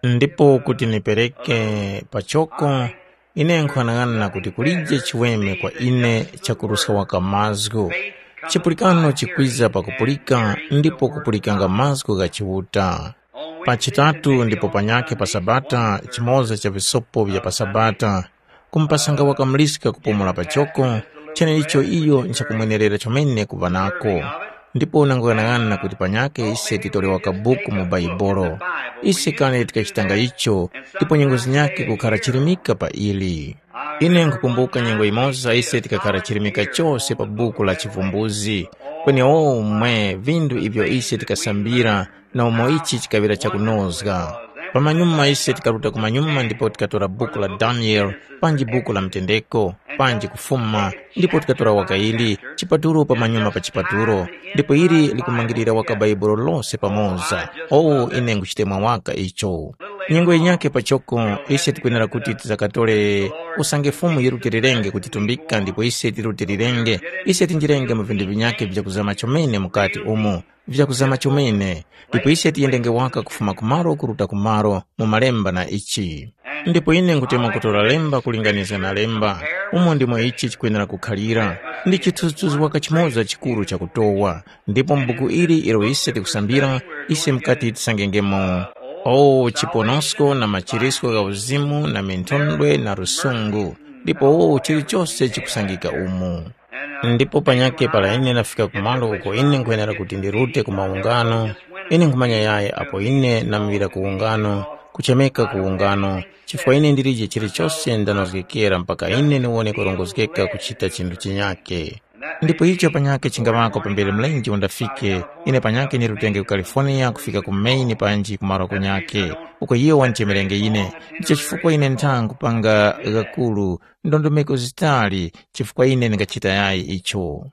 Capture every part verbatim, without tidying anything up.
Ndipo kuti nipereke pachoko, ine nkhughanaghana kuti kulije chiweme kwa ine chakuruska waka mazgu. Chipulikano chikwiza pakupulika ndipo kupulikanga mazgu gha Chiuta. Pa chitatu ndipo panyakhe pa Sabata, chimoza cha visopo vya pa Sabata, kumupasanga waka muliska kupumula pachoko, cheneicho iyo nchakumwenerera chomene kuŵa nako. Ndipo nanguyang'ana kuti panyakhe ise titolewa kabuku mu Bhaibuli. Ise kale tikachitanga icho, ndipo nyengo zinyakhe kukhara chirimika pa ili. Ine nkhukumbuka nyengo yimoza ise tikakhara chirimika chose pa buku la Chivumbuzi, kwenewo mwe vindu ivyo ise tikasambira na umo ichi chikaŵira chakunozga. Pamanyuma ise tikaruta kumanyuma ndipo tikatora buku la Daniele, panji buku la mtendeko, panji kufuma, ndipo tikatora waka ili, chipatulo pamanyuma pa chipatulo, ndipo ili likumangirira waka Bhaibuli lose pamoza. Oh, ine nguchitemwa waka icho. Nyengo yinyakhe pachoko, ise tikwenera kuti tizakatore usange Fumu yirutilirenge kutitumbika ndipo ise tirutilirenge, ise tinjirenge mu vindu vinyakhe vya kuzama chomene mukati umo, vya kuzama chomene, ndipo ise tiyendenge waka kufuma kumalo kuruta kumalo mu malemba na ichi. Ndipo ine nkutemwa kutora lemba kulinganizga na lemba, umo ndimo ichi chikwenera kukhalira, ndi chithunzithunzi waka chimoza chikuru chakutowa, ndipo m'buku ili ilo ise tikusambira, ise mukati tisangengemo. O chiponosko na machirisko gha uzimu na minthondwe na lusungu, ndipo o chilichose chikusangika umu. Ndipo panyakhe para ine ndafika kumalo uko ine nkwenera kuti ndirute ku maungano, ine nkhumanya yayi apo ine ndamuvira ku ungano, kuchemeka ku ungano, chifukwa ine ndilije chilichose ndanozgekera mpaka ine ndiwone kurongozgeka kuchita chinthu chinyakhe. Ndipo icho panyakhe chingaŵako pambere mlenje undafike, ine panyakhe ndirutenge ku California kufika ku Maine panji ku malo kunyakhe, uko iyo wandichemerenge ine. Ndicho chifukwa ine ntha nkupanga ghakulu ndondomeko zitali chifukwa ine ndingachita yayi icho.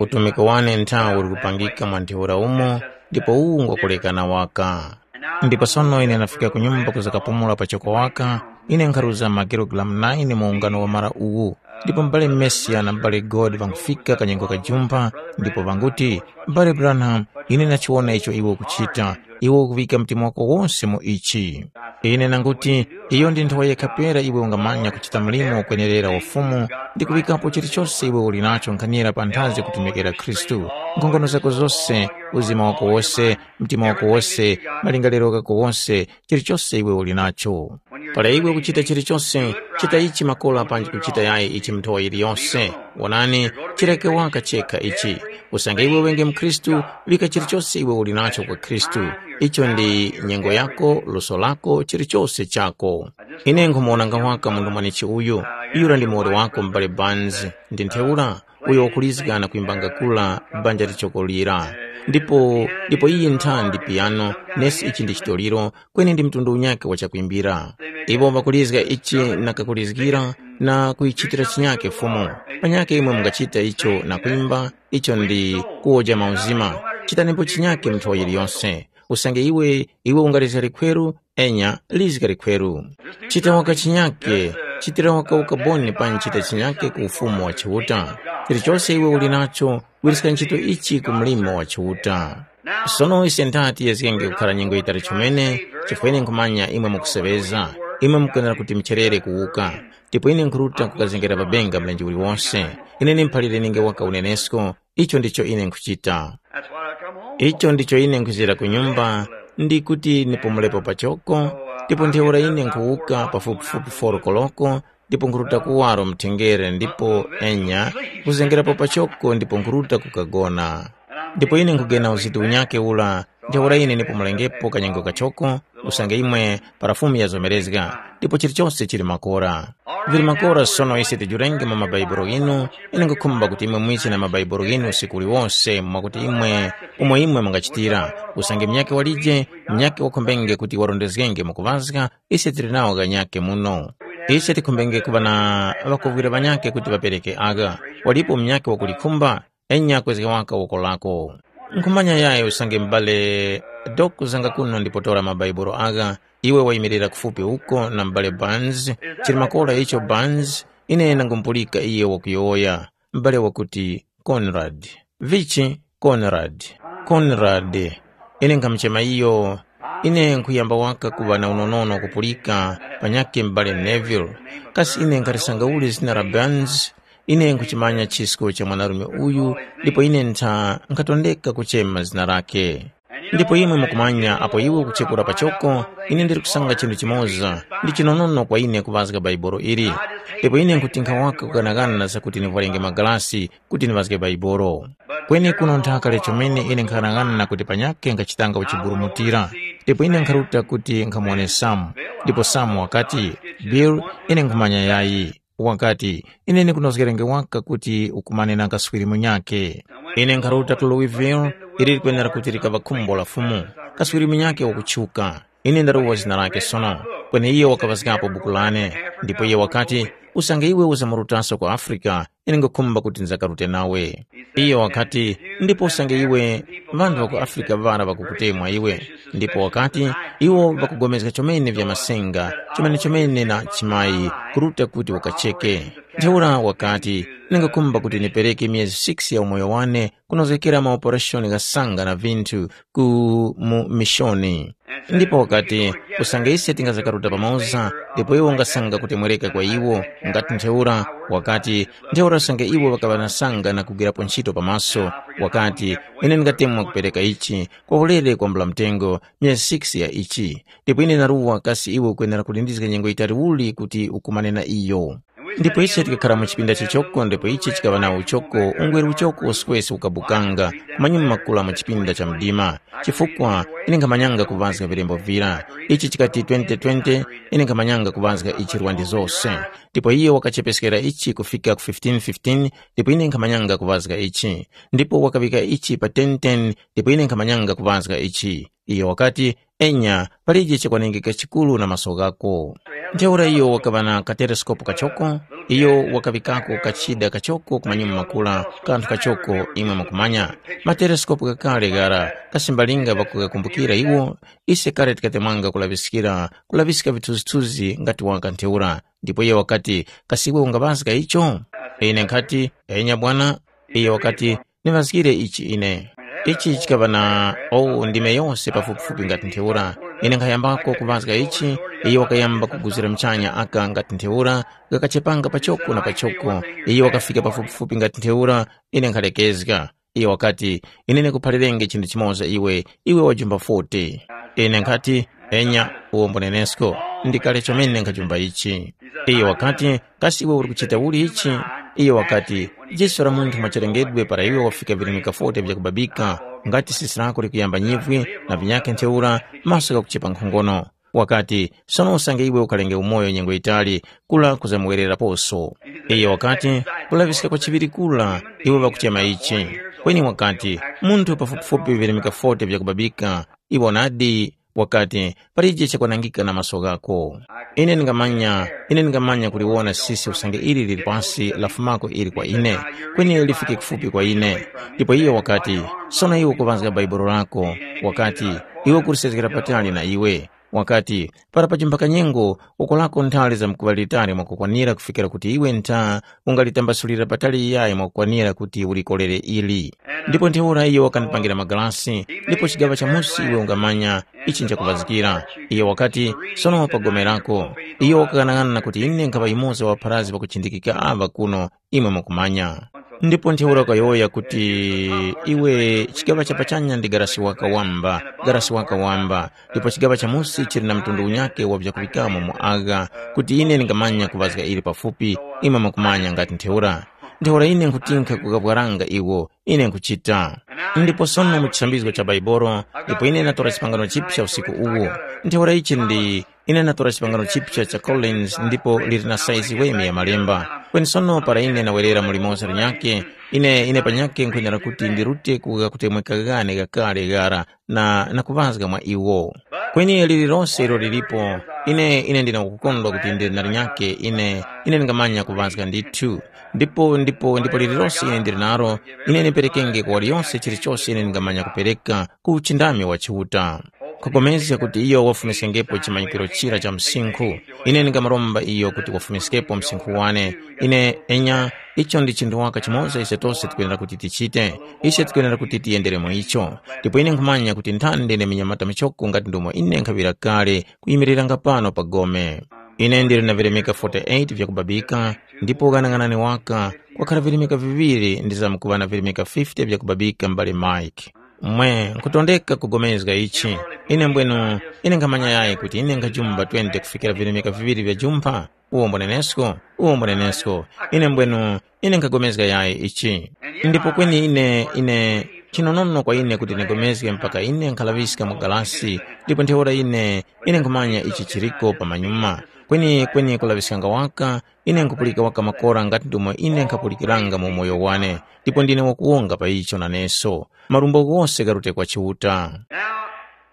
Utumiki wane nthawo uli kupangika mwa ntheura umo, ndipo uwu ngwakulekana waka. Ndipo sono ine ndafika ku nyumba kuza kapumula pachoko waka, ine nkharuza makilogalamu nine mu ungano wamara uwu, ndipo m'bale Mesiya na m'bale God ŵangufika kanyengo kajumpha, ndipo ŵanguti, "M'bale Branham, ine ndachiwona icho iwe ukuchita, iwe ukuŵika mtima wako wose mu ichi." Ine nanguti, iyo ndi nthawe yekha pera iwe ungamanya kuchita mlimo ukwenerera wa Fumu ndi kuŵikapo chilichose iwe uli nacho nkhanira panthazi kutumikira Khristu. Nkhongono zako zose, uzima wako wose, mtima wako wose, malingaliro ghako wose, chilichose iwe uli nacho. Para iwe ukuchita chilichose, chita ichi makora panji kuchita yayi ichi nthowa yiliyose. Wonani, chireke waka chekha ichi. Usange iwe wenge mkhristu, vika chilichose iwe uli nacho kwa Khristu. Icho ndi nyengo yako, luso lako, chilichose chako. Ine nkumuwonanga waka munthu mwanechi uyu, yura ndi muwoli wako m'bale Barnes, ndi ntheura, uyo wakulizga na kwimbanga kula banja lichokolira. Ndipo, ndipo iyi ntha ndi piyano, nesi ichi ndi chitoliro, kweni ndi mtundu unyakhe wa chakwimbira. Iwo ŵakulizga ichi na kakulizgira na kuyichitira chinyakhe Fumu. Panyakhe imwe mungachita icho na kwimba, icho ndi kuwoja mauzima. Chitanepo chinyakhe mu nthowa yiliyonse. Usange iwe, iwe ungalizga likhweru, enya, lizga likhweru. Chita waka chinyakhe, chitira waka ukaboni panji chita chinyakhe ku ufumu wa Chiuta. Chilichose iwe uli nacho, wiriska ntchito ichi ku mlimo wa Chiuta. Sono ise ntha tiyezgenge kukhara nyengo yitali chomene, chifukwa ine nkhumanya imwe mukuseŵeza, imwe mukwenera kuti mucherere kuwuka. Ndipo ine nkhuruta kukazengera pa benga mlenje uliwonse. Ine ndimuphalire ninge waka unenesko, icho ndicho ine nkhuchita. That's what I come home for. Icho ndicho ine nkhuzira ku nyumba, ndi kuti nipumulepo pachoko, ndipo ntheura ine nkhuwuka pafupifupi foro koloko, ndipo nkhuruta kuwaro mthengere, ndipo enya, nkhuzengerapo pachoko ndipo nkhuruta kukagona. Ndipo ine nkhugena uzitu unyakhe ura, ntheura ine nipumulengepo kanyengo kachoko, usange imwe para Fumu yazomerezga, ndipo chilichose chili makora. Vili makora sono ise tijurenge mu mabaibulo ghinu, ine nkhukhumba kuti imwe mwise na mabaibulo ghinu usiku uliwose mwakuti imwe umo imwe mungachitira, usange munyakhe walije, munyakhe wakhombenge kuti warondezgenge mu kuŵazga, ise tili nawo ghanyakhe muno. Ise tikhombenge kuŵa na ŵakovwira ŵanyakhe kuti ŵapereke agha. Walipo munyakhe wakulikhumba? Enya kwezga waka woko lako. Nkhumanya yayi usange m'bale Doku zanga kuno ndipo tora mabaibulo agha, iwe wayimirira kufupi uko na m'bale Barnes, chili makora icho Barnes, ine nangumupulika iye wakuyowoya, m'bale wakuti, Conrad. Vichi? Conrad. Conrad. Ine nkhamuchema iyo, Ine nkhuyamba waka kuŵa na unonono kupulika panyakhe m'bale Neville. Kasi ine nkhalisangauli zina la Burns? Ine nkhuchimanya chisko cha mwanarume uyu, ndipo ine ntha nkhatondeka kuchema zina lakhe. Ndipo imwe mukumanya apo iwe ukuchekura pachoko, ine ndiri kusanga chinthu chimoza, ndi chinonono kwa ine kuŵazga Baibolo ili. Ndipo ine nkhuti nkhawaka kughanaghana zakuti nivwarenge magalasi kuti niŵazge Baibolo. Kweni kuno nthaka lechomene ine nkhanang'ana kuti panyakhe nkhachitanga uchiburumutira, ndipo ine nkharuta kuti nkhamuwone Samu. Ndipo Samu wakati, Bill, ine nkhumanya yayi. Wakati, ine ndikunozgerenge waka kuti ukumane na kaswiri munyakhe. Ine nkharuta ku Louisville, ili likwenera kuti likaŵa khumbo la Fumu. Kaswiri munyakhe wakutchuka. Ine ndaruwa zina lake sono, kweni iyo wakaŵazgapo buku lane. Ndipo iyo wakati, usange iwe uzamurutaso ku Afrika, ine nkhukhumba kuti ndizakarute nawe. Iyo wakati, ndipo usange iwe, ŵanthu ŵa ku Afrika ŵara ŵakukutemwa iwe. Ndipo wakati, iwo ŵakugomezga chomene vya masenga, chomenechomene na chimayi, kuruta kuti wakacheke. Ntheura wakati, ine nkhukhumba kuti ndipereke myezi six ya umoyo wane kunozgekera maopereshoni ghasanga na vinthu ku mu mishoni. Ndipo wakati, usange ise tingazakaruta pamoza, ndipo iwe ungasanga kutemwereka kwa iwo, ngati ntheura, wakati, ntheura usange iwo ŵakaŵa na sanga na kugwirapo ntchito pamaso, wakati, ine ndingatemwa kupereka ichi kwa ulere kwambula mtengo myezi six ya ichi, ndipo ine naruwa kasi iwe ukwenera kulindizga nyengo yitali uli kuti ukumane na iyo. Ndipo ise tikakhara mu chipinda chichoko ndipo ichi chikaŵa na uchoko ungweri uchoko woswese ukabukanga, kumanyuma makula mu chipinda cha mdima. Chifukwa ine nkhamanyanga kuŵazga vilembo vira. Ichi chikati twenty twenty, ine nkhamanyanga kuŵazga ichi lwandi zose. Ndipo iyo wakachepeskera ichi kufika ku fifteen fifteen, ndipo ine nkhamanyanga kuŵazga ichi. Ndipo wakaŵika ichi pa ten ten, ndipo ine nkhamanyanga kuŵazga ichi. Iyo wakati, enya, palije chakwanengeka chikuru na maso ghako. Ntheura iyo wakaŵa na kateleskopu kachoko, iyo wakaŵikako kachida kachoko ku manyuma makula, kanthu kachoko imwe mukumanya. Mateleskopu ghakale ghara, kasimbalinga ŵakughakumbukira iwo, ise kale tikatemwanga kulaŵiskira, kulaŵiska vithunzithunzi ngati waka ntheura. Ndipo iyo wakati, kasi iwe ungaŵazga icho? Ine nkhati, enya bwana. Iyo wakati, niŵazgire ichi ine. Ichi chikaŵa na owu ndime yose pafupifupi ngati ntheura. Ine nkhayambako kuŵazga ichi, iyo wakayamba kuguzira muchanya aka ngati ntheura, ghakachepanga pachoko na pachoko. Iyo wakafika pafupifupi ngati ntheura, ine nkhalekezga. Iyo wakati, ine ndikuphalirenge chinthu chimoza iwe, iwe wajumba forty. Ine nkhati, enya, uwo mbunenesko, ndi kale chomene nkhajumba ichi. Iyo wakati, kasi iwe uli kuchita uli ichi? Iyo wakati, diso la munthu mwachilengedwe para iwe wafika virimika forty vyakubabika, ngati sisi lako likuyamba nyivwi na vinyakhe ntheura, maso ghakuchepa nkhongono. Wakati, sono usange iwe ukalenge umoyo nyengo yitali, kula kuzamuwereraposo. Iyo wakati, kulaŵiska kwa chiŵiri kula, iwe ŵakuchema ichi. Kweni wakati, munthu pafupifupi virimika forty vyakubabika, iwe nadi, wakati, palije chakwanangika na maso ghako. Ine ndingamanya, ine ndingamanya kuliwona sisi usange ili lili pasi lafumako ili kwa ine, kweni lifike kufupi kwa ine. Ndipo iyo wakati, sono iwe ukuŵazga Bhaibuli lako, wakati, iwe ukulisezgera patali na iwe. Wakati, para pachimpaka nyengo, uko lako nthali zamkuŵa litali mwakukwanira kufikira kuti iwe ntha ungalitambasulira patali iyayi mwakukwanira kuti ulikolere ili. Ndipo ntheura iyo wakandipangira magalasi, ndipo chigaŵa cha musi iwe ungamanya ichi nchakuŵazikira. Iyo wakati, sono pa gome lako. Iyo wakaghanaghanana kuti ine nkhaŵa yumoza wa ŵapharazgi ŵakuchindikika aŵa kuno, imwe mukumanya. Ndipo ntheura ukayowoya kuti, iwe chigaŵa cha pachanya ndi garasi waka wamba, garasi waka wamba, ndipo chigaŵa cha musi chili na mtundu unyakhe wa vyakuŵikamo mu agha, kuti ine ndingamanya kuŵazga ili pafupi, imwe mukumanya ngati ntheura. Ntheura ine nkhuti nkhakukapwaranga iwo, ine nkhuchita. Ndipo sono mu chisambizgo cha Baibolo, ndipo ine ndatora chipangano chipsa usiku uwu. Ntheura ichi ndi, ine ndatora chipangano chipsa cha Collins ndipo liri na saizi weme ya malemba. Kweni sono para ine ndawerera mu limoza linyakhe, ine, ine panyakhe nkhwenera kuti ndirute ku ghakutemweka ghane ghakale ghara na, na kuŵazga mwa iwo. Kweni lililose ilo lilipo, ine, ine ndina kukondwa kuti ndili na linyakhe, ine, ine ndingamanya kuŵazga ndithu. Ndipo, ndipo, ndipo lililose ine ndili nalo, ine ndiperekenge kwa waliyose chilichose ine ndingamanya kupereka ku uchindami wa Chiuta. Kupulikana kuti iyo wafumiskengepo chimanyikiro chira cha msinkhu. Ine ndingamaromba iyo kuti wafumiskepo msinkhu wane. Ine enya, icho ndi chinthu waka chimoza ise tose tikwenera kuti tichite. Ise tikwenera kuti tiyendere mu icho. Ndipo ine nkhumanya kuti nthani ndine minyamata michoko ngati ndomo ine nkhaŵira kale kuyimiriranga pano pa gome. Ine ndili na vilemeka forty-eight vyakubabika, ndipo ghanaghanani waka kwakhala vilemeka viŵiri ndizamkuŵa na vilemeka fifty vyakubabika m'bale Mike. Mwe, nkhutondeka kugomezga ichi. Ine mbwenu, ine nkhamanya yayi kuti ine nkhajumba twenty kufikira vilemeka viŵiri vya jumpha. Uwo mbunenesko, uwo mbunenesko. Ine mbwenu, ine nkhagomezga yayi ichi. Ndipo kweni ine, ine, chinonono kwa ine kuti ndigomezge mpaka ine nkhalaŵiska mu galasi, ndipo ntheura ine, ine nkhumanya ichi chiriko pamanyuma. Kweni, kweni kulaŵiskanga waka, ine nkhupulika waka makora ngati ndomwe ine nkhapulikiranga mu umoyo wane, ndipo ndine wakuwonga pa icho naneso. Marumbo ghose gharute kwa Chiuta. Now,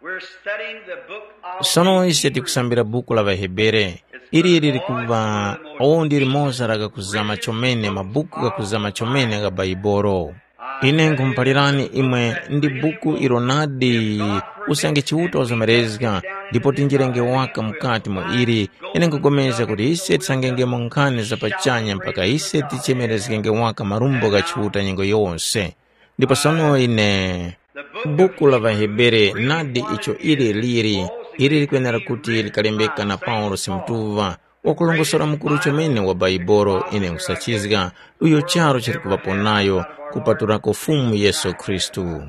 we're studying the book of Sono ise Hebrews. Tikusambira buku la ВaHebere. Ili liri kuŵa, uwo ndi limoza la kakuzama chomene, mabuku kakuzama chomene gha Baibolo. Ine nkhumuphalirani imwe ndi buku ilo nadi usange Chiuta wazomerezga, ndipo tinjirenge waka mukati mwa ili. Ine nkupulikana kuti ise tisangengemo nkhani za pachanya mpaka ise tichemerezgenge waka marumbo gha Chiuta nyengo yose. Ndipo sono ine, buku la ŵaHebere nadi icho ili liri, ili likwenera kuti likalembeka na Paulosi mutuŵa, wakulongosora mukuru chomene wa Baibolo ine nkusachizga, uyo charu chili kuŵapo nayo kupatulako Fumu Yesu Khristu.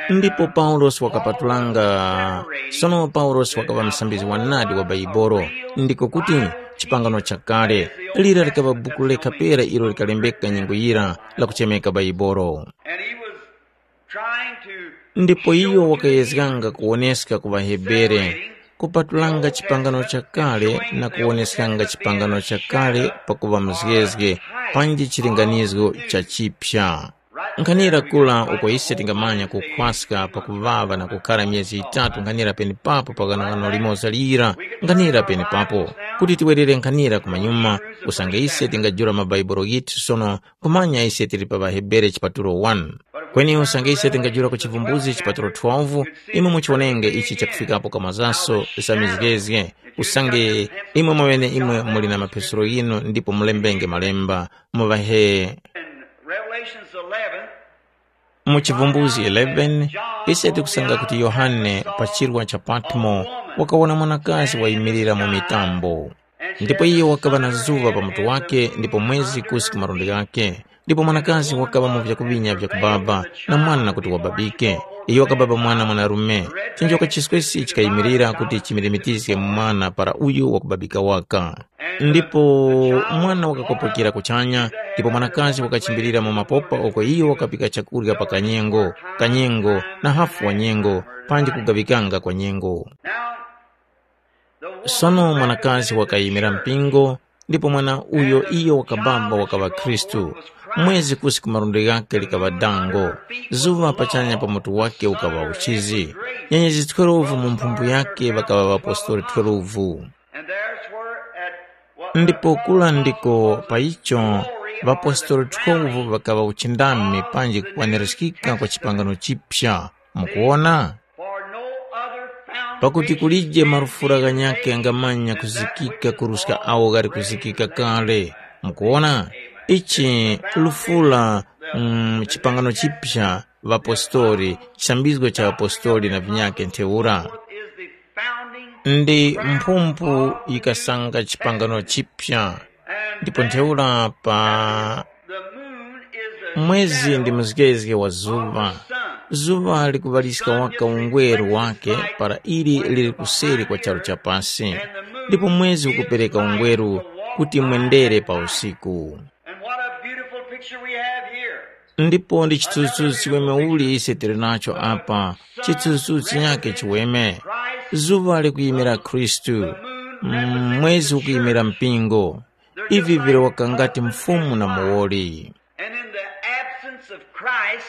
Ndipo Paulosi wakapatulanga, sono Paulosi wakaŵa msambizgi wa nadi wa Baibolo, ndiko kuti chipangano chakale, lira likaŵa buku lekha pera ilo likalembeka nyengo yira lakuchemeka Baibolo. And he was trying to Ndipo iyo wakayezganga kuwoneska ku ŵaHebere, kupatulanga chipangano chakale na kuwoneskanga chipangano chakale pakuŵa mzgezge panji chilinganizgo cha chipya. Nkhanira kula uko ise tingamanya kukhwaska pakuŵaŵa na kukhara myezi yitatu nkhanira penepapo pa ghanoghano limoza lira, nkhanira penepapo, kuti tiwerere nkhanira kumanyuma, usange ise tingajula mabaibulo ghitu sono, nkhumanya ise tili pa ŵaHebere chipatulo one. Kweni usange ise tingajula ku Chivumbuzi chipatulo twelve, imwe muchiwonenge ichi chakufikapo kamazaso za mizgezge, usange imwe mweneimwe muli na mapezero ghinu ndipo mulembenge malemba, muŵahe. In Revelations eleven, Mu Chivumbuzi eleven, ise tikusanga kuti Yohane pa chirwa cha Patmo wakawona mwanakazi wayimirira mu mitambo. Ndipo iyo wakaŵa na zuŵa pa mutu wake ndipo mwezi kusi ku malundi ghake. Ndipo mwanakazi wakaŵa mu vyakuŵinya vyakubaba na mwana kuti wababike. Iyo wakababa mwana mwanarume. Chinjoka chiswesi chikayimirira kuti chimirimikizge mwana para uyu wakubabika waka. Ndipo mwana wakakopokera kuchanya, ndipo mwanakazi wakachimbirira mu mapopa uko iyo wakapika chakurya pa kanyengo, kanyengo na hafu wa nyengo, panji kugaŵikanga kwa nyengo. Sono mwanakazi wakayimira mpingo, ndipo mwana uyo iyo wakabamba wakaŵa Khristu. Mwezi kusi ku malundi ghake likaŵa dango, zuŵa pachanya pa mutu wake ukaŵa uchizi, nyenyezi twelve mu mphumphu yake ŵakaŵa ŵapostoli twelve. And there's where at what Ndipo kula ndiko pa icho ŵapostoli twelve ŵakaŵa uchindami panji kukwanirizgika kwa chipangano chipya. Mukuwona? For no other foundation Pakuti kulije marufura ghanyakhe ghangamanya kuzikika kuruska awo ghali kuzikika kale. Mukuwona? Ichi lufura, mm, chipangano chipya, ŵapostoli, chisambizgo cha ŵapostoli na vinyakhe ntheura. Is the founding Ndi mphumphu yikasanga chipangano chipya. Ndipo ntheura pa The moon is a mwezi ndi muzgezge wa zuŵa. Sun. Zuŵa likuŵaliska waka ungweru wake para ili lili kuseri kwa charu cha pasi. Ndipo mwezi ukupereka ungweru kuti mwendere pa usiku. And what a beautiful picture we have here. Ndipo ndi chithunzithunzi chiweme uli ise tili nacho apa, chithunzithunzi chinyakhe chiweme. Zuŵa likuyimira Khristu, mm, mwezi ukuyimira mpingo. Ivi vili waka ngati mfumu na muwoli. And in the absence of Christ,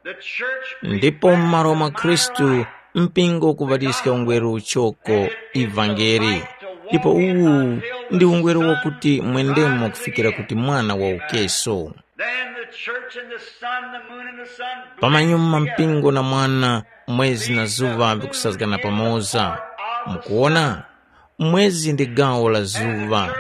the church Ndipo m'malo mwa Khristu, mpingo ukuŵaliska ungweru uchoko, ivangeli. Ndipo uwu ndi ungweru wakuti mwendemo kufikira kuti mwana wawukeso. Then the Church and the sun, the moon and the sun. Pamanyuma mpingo na mwana, mwezi na zuŵa vikusazgana pamoza. Mukuona? Mwezi ndi gawo la zuŵa,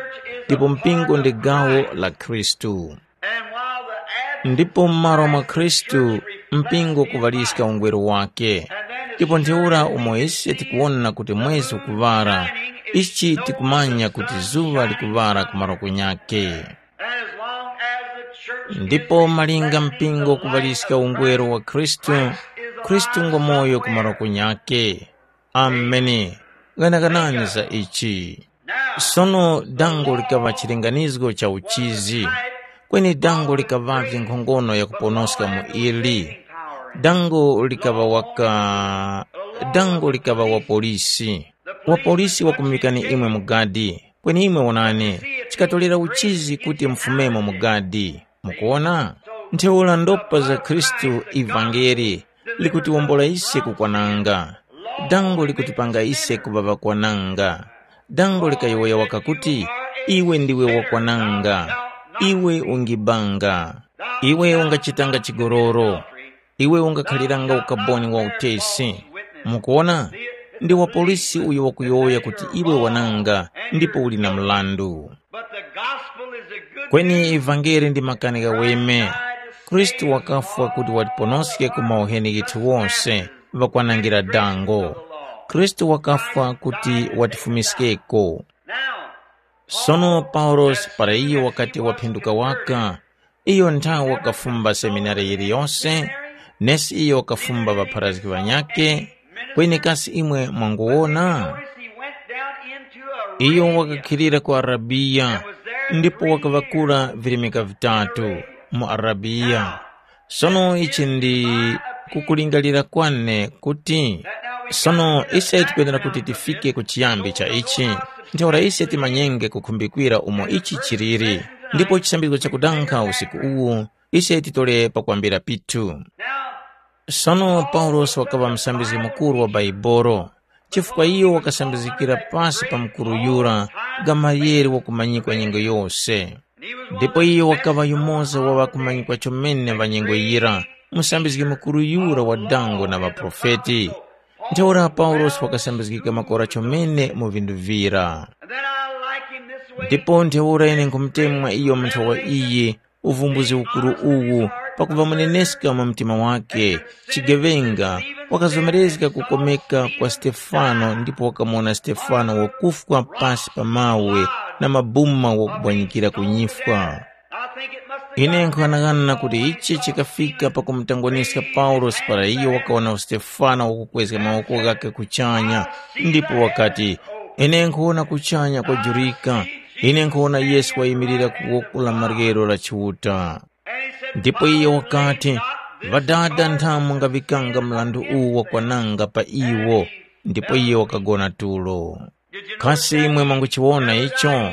ndipo mpingo ndi gawo la Khristu. And while the Advent ndipo m'malo mwa Khristu, mpingo kuŵaliska ungweru wake. Ndipo ntheura umo ise tikuwona kuti mwezi ukuŵara, ichi tikumanya kuti zuŵa likuŵara ku maroko nyake. And as long as the church ndipo malinga mpingo kuŵaliska ungweru wa Khristu, Khristu ngo moyo ku maroko nyake. Ameni. Ghanaganani za ichi. Sono dango likaŵa chilinganizgo cha uchizi, kweni dango likaŵavye nkhongono yakuponoska mu ili. Dango likaŵa waka dango likaŵa wapolisi. Wapolisi wakumuŵikani imwe mu gadi, kweni imwe wonani, chikatolera uchizi kuti mufumemo mu gadi. Mukuwona? Ntheura ndopa za Khristu ivangeli likutiwombola ise kukwananga. Dango likutipanga ise kuŵa ŵakwananga. Dango likayowoya waka kuti, iwe ndiwe wakwananga, iwe ungibanga, iwe ungachitanga chigololo, iwe ungakhaliranga ukaboni wa utesi. Mukuwona? Ndi wapolisi uyo wakuyowoya kuti iwe wananga ndipo uli na mlandu. But the gospel is a good kweni ivangeli ndi makani ghaweme. Khristu wakafwa kuti watiponoske ku mauheni ghithu wose, ŵakwanangira dango. Khristu wakafwa kuti watifumiskeko. Now, sono paulosi para iyo wakati waphinduka waka, iyo nthawe wakafumba seminari yiliyose, nesi iyo wakafumba ŵapharazgi ŵanyakhe. Kweni kasi imwe mwanguwona? He went down into a iyo wakakhilira ku arabiya, ndipo wakaŵakula virimika vitatu mu arabiya. Sono ichi ndi kukulingalira kwane kuti sono ise tikwenera kuti tifike ku chiyambi cha ichi. Ntheura ise timanyenge kukhumbikwira umo ichi chiliri, ndipo chisambizgo chakudankha usiku uwu ise titole pakwambira pithu. Sono paulosi wakaŵa musambizgi mukuru wa bhaibolo, chifukwa iyo wakasambizgikira pasi pa mukuru yura, gamaliyeli wakumanyikwa nyengo yose. Ndipo iyo wakaŵa yumoza wa ŵakumanyikwa chomene ŵa nyengo yira, musambizgi mukuru yura wa dango na ŵaprofeti. Ntheura paulosi wakasambizgika makora chomene mu vindu vira. Ndipo ntheura ine nkhumutemwa iyo munthu wa iyi, uvumbuzi ukuru uwu, pakuva muneneska mu mtima wake, chigeŵenga, wakazomerezga kukomeka kwa Stefano ndipo wakamuwona Stefano wakufwa pasi pa mawe na mabuma wakubwanyikira ku nyifwa. Ine nkhanang'ana kuti ichi chikafika pakumutangwaniska Paulosi para iyo wakawona Stefano wakukwezga mawoko ghakhe kuchanya, ndipo wakati, ine nkhuwona kuchanya kwajurika, ine nkhuwona Yesu wayimirira ku woko la maryero la Chiuta. Ndipo iyo wakati, Ŵadada nthamu ngaŵikanga mrandu uwu wakwananga pa iwo, ndipo iyo wakagona tulo. Kasi imwe mwanguchiwona icho?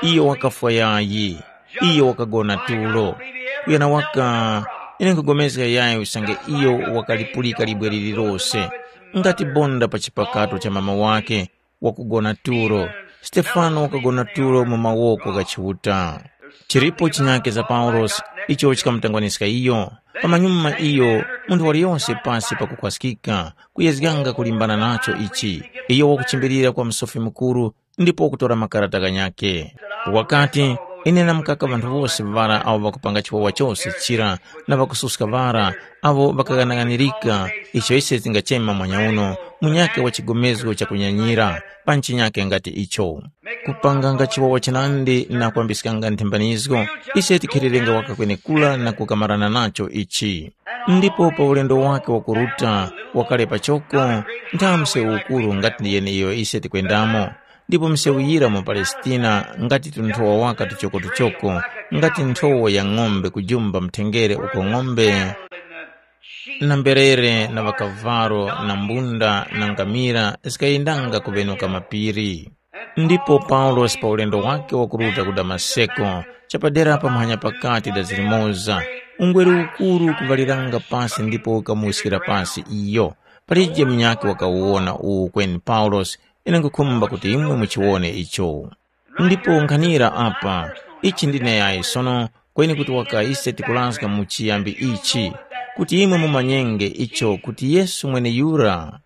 Iyo wakafwa yayi, iyo wakagona tulo. Kuyana waka, ine nkhupulikana yayi usange iyo wakalipulika libwe lililose, ngati bonda pa chipakato cha mama wakhe, wakugona tulo. Stefano wakagona tulo mu mawoko gha Chiuta. Chilipo chinyake za Paulosi icho chikamutangwaniska iyo. Pamanyuma iyo, munthu waliyonse pasi pakukhwaskika, kuyezganga kulimbana nacho ichi, iyo wakuchimbilira kwa Musofi Mukuru ndipo wakutora makarata ghanyakhe. Wakati, ine namkaka ŵanthu wose ŵara awo ŵakupanga chiwawa chose chira na ŵakususka ŵara awo ŵakaghanaghanirika icho ise tingachema mwanyauno munyakhe wa chigomezgo chakunyanyira pa nchinyakhe ngati icho. Kupanganga chiwawa chinandi na kwambiskanga nthembanizgo, ise tikhererenga waka kwenekura na kukamarana nacho ichi. Ndipo pa ulendo wake wakuruta wakale pachoko, nthawe msewu ukuru ngati ndi yeneiyo ise tikwendamo. Ndipo msewu yira mu Palestina ngati tunthowa waka tuchokotuchoko, ngati nthowa ya ng'ombe kujumba mthengere uko ng'ombe na mberere na ŵakavalo na mbunda na ngamira zikayendanga kuŵenuka mapiri. Ndipo Paulosi pa ulendo wake wakuruta ku Damaseko, chapadera pa muhanya pakati da zilimoza, ungweru ukuru ukuvaliranga pasi ndipo ukamuwiskira pasi iyo. Palije munyakhe wakawuwona uwu kweni Paulosi, ine nkhukhumba kuti imwe muchiwone icho. Ndipo nkhanira apa, ichi ndine yayi sono Kweni kuti waka ise tikurazga mu chiyambi ichi, kuti imwe mumanyenge icho kuti Yesu mweneyura.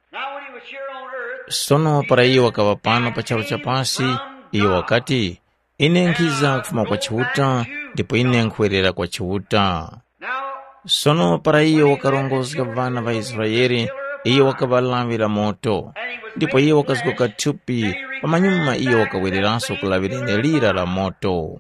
Sono para iyo wakaŵa pano pa charu cha pasi, iyo wakati, “Ine nkhiza kufuma kwa Chiuta, ndipo ine nkhuwerera kwa Chiuta.” Sono para iyo wakarongozga ŵana ŵa Israele, iyo wakaŵa lawi la moto, ndipo iyo wakazgoka thupi, pamanyuma iyo wakawereranso ku lawi lenelira la moto.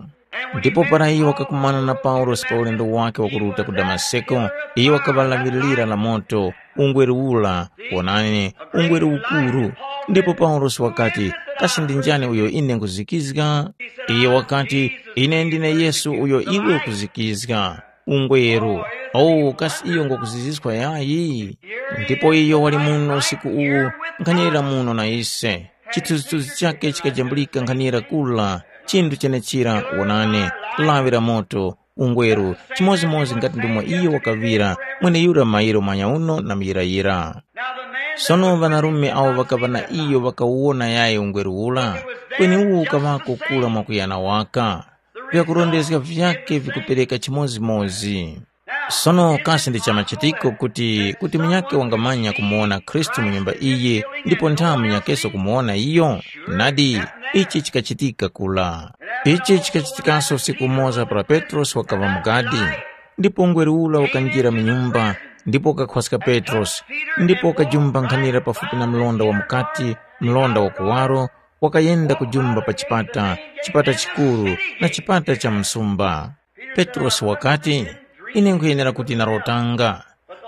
Ndipo para iyo wakakumana na Paulosi pa ulendo wakhe wakuruta ku Damaseko, iyo wakaŵa lawi lira la moto, ungweru ura, wonani, ungweru ukuru. Ndipo Paulosi wakati, “Kasi ndi njani uyo ine nkhuzikizga?” Iyo wakati, “Ine ndine Yesu uyo iwe ukuzikizga.” Ungweru, owu kasi iyo ngwakuziziska yayi? Ndipo iyo wali muno usiku uwu, nkhanira muno na ise. Chithunzithunzi chakhe chikajambulika nkhanira kula, chinthu chenechira, wonani, lawi la moto, ungweru, chimodzimodzi ngati ndomwe iyo wakaŵira, mweneyura mairo manyauno na muyirayira. Sono ŵanarume awo ŵakaŵa na iyo ŵakawona yayi ungweru ura, kweni uwo ukaŵako kula mwakuyana waka. Vyakurondezga vyakhe vikupereka chimodzimodzi. Sono kasi ndi chamachitiko kuti, kuti munyakhe wangamanya kumuwona Khristu mu nyumba iyi ndipo ntha munyakeso kumuwona iyo? Nadi, ichi chikachitika kula. Ichi chikachitikaso usiku umoza para Petrosi wakaŵa mu gadi. Ndipo ngwere ura wakanjira mu nyumba, ndipo wakakhwaska Petrosi, ndipo wakajumba nkhanira pafupi na mlonda wa mukati, mlonda wa kuwaro, wakayenda kujumba pa chipata, chipata chikuru na chipata cha msumba. Petrosi wakati, “Ine nkhuyenera kuti narotanga.”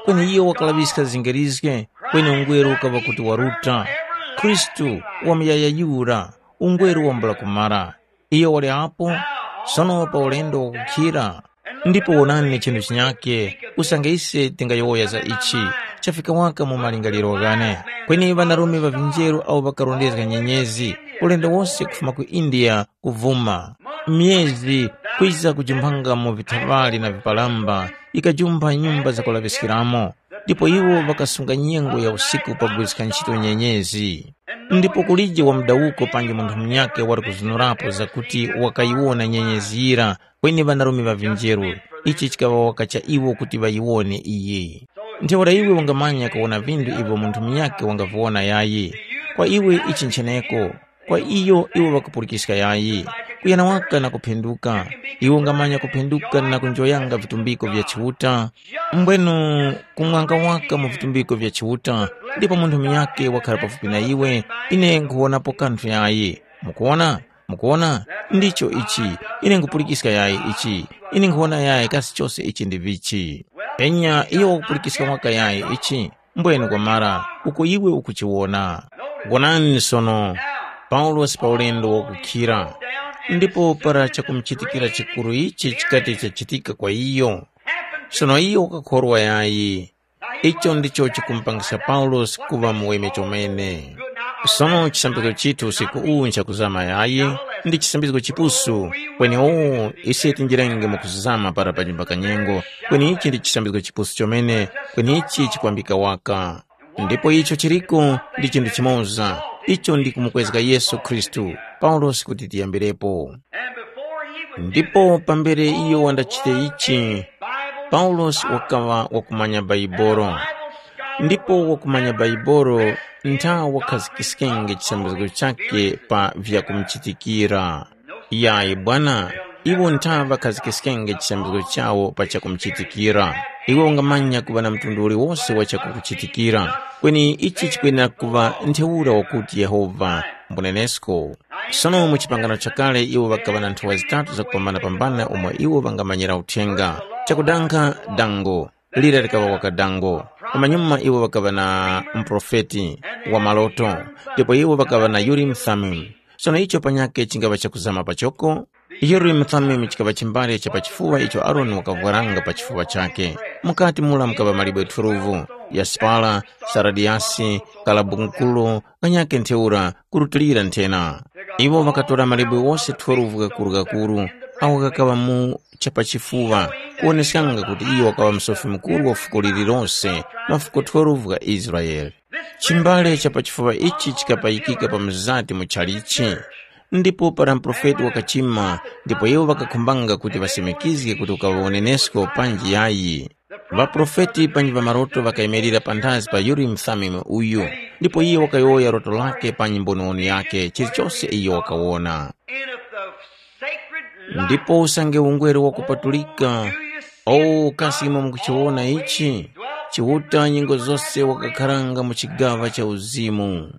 Kweni iyo wakalaŵiska zingerizge, kweni ungweru ukaŵa kuti waruta. Khristu wamuyayayura, ungweru wambula kumara. Iyo wali apo, sono pa ulendo wakukhira. Ndipo wonani chinthu chinyakhe, usange ise tingayowoya za ichi, chafika waka mu malingaliro ghane. Kweni ŵanarume ŵa vinjeru awo ŵakarondezga nyenyezi, ulendo wose kufuma ku India kuvuma. Myezi kwiza kujumphanga mu vithaŵali na vipalamba, yikajumpha nyumba zakulaŵiskiramo, ndipo iwo ŵakasunga nyengo ya usiku pagwiriska ntchito nyenyezi. Ndipo kulije wa mudawuko panji munthu munyakhe wali kuzunurapo zakuti wakayiwona nyenyezi yira, kweni ŵanarume ŵa vinjeru, ichi chikaŵa waka cha iwo kuti ŵayiwone iyi. Ntheura iwe wangamanya kuwona vinthu ivyo munthu munyakhe wangaviwona yayi. Kwa iwe ichi ncheneko, kwa iyo iwo ŵakupulikiska yayi. Kuyana waka na kuphenduka, iwe ungamanya kuphenduka na kunjoyanga vitumbiko vya Chiuta? Mbwenu kumwanga waka mu vitumbiko vya Chiuta, ndipo munthu munyakhe wakhala pafupi na iwe, ine nkhuwonapo kanthu yayi. Mukuwona? Mukuwona? Ndicho ichi. Ine nkhupulikiska yayi ichi. Ine nkhuwona yayi kasi chose ichi ndi vichi. Enya iyo wakupulikiska mwaka yayi ichi. Mbwenu kwamara, uko iwe ukuchiwona. Wonani sono, Paulosi pa ulendo wakukhira, ndipo para chakumuchitikira chikuru ichi chikati chachitika kwa iyo. Sono iyo wakakhorwa yayi. Icho ndicho chikumupangisa Paulosi kuŵa muweme chomene. Sono chisambizgo chithu usiku uwu nchakuzama yayi, ndi chisambizgo chipusu, kweni uwu ise tinjirenge mu kuzama para panyumba kanyengo, kweni ichi ndi chisambizgo chipusu chomene, kweni ichi chikwambika waka. Ndipo icho chiriko ndi chinthu chimoza, icho ndi kumukwezga Yesu Khristu, Paulosi kuti tiyambirepo. Ndipo pambere iyo wandachite ichi, Paulosi wakaŵa wakumanya Baibolo. Ndipo wakumanya Baibolo ntha wakhazikiskenge chisambizgo chakhe pa vyakumuchitikira. Yayi bwana, iwo ntha ŵakhazikiskenge chisambizgo chawo pa chakumuchitikira. Iwe ungamanya kuŵa na mtundu uliwose wa chakukuchitikira, kweni ichi chikwenera kuŵa ntheura wakuti Yehova mbunenesko. Sono mu chipangano chakale iwo ŵakaŵa na nthowa zitatu zakupambanapambana umo iwo ŵangamanyira uthenga. Chakudankha dango, lira likaŵa waka dango. Pamanyuma iwo ŵakaŵa na muprofeti wa maloto, ndipo iwo ŵakaŵa na Urimu Thumimu. Sono icho panyakhe chingaŵa chakuzama pachoko? Urimu Thumimu chikaŵa chimbale cha pachifuŵa icho Aroni wakavwaranga pa chifuŵa chakhe. Mukati mura mukaŵa malibwe twelve, yasipara, saradiyasi, kalabunkulu, ghanyakhe ntheura, kurutilira nthena. Iwo ŵakatora malibwe ghose twelve ghakuru-ghakuru, agho ghakaŵa mu chapachifuŵa, kuwoneskanga kuti iyo wakaŵa Musofi Mukuru wa fuko lililose, mafuko twelve gha Israele. Chimbale cha pachifuŵa ichi chikapayikika pa mzati mu chalichi, Ndipo para muprofeti wakachima, ndipo iwo ŵakakhumbanga kuti ŵasimikizge kuti ukaŵawonenesko panji yayi. Ŵaprofeti panji ŵa maloto ŵakayimirira panthazi pa Urimu Thumimu uyu, ndipo iye wakayowoya loto lakhe panji mbonowono yakhe chilichose iyo wakawona. And if the sacred light Ndipo usange ungweru wakupatulika, o kasi imwe mukuchiwona ichi? Chiuta nyengo zose wakakharanga mu chigaŵa cha uzimu.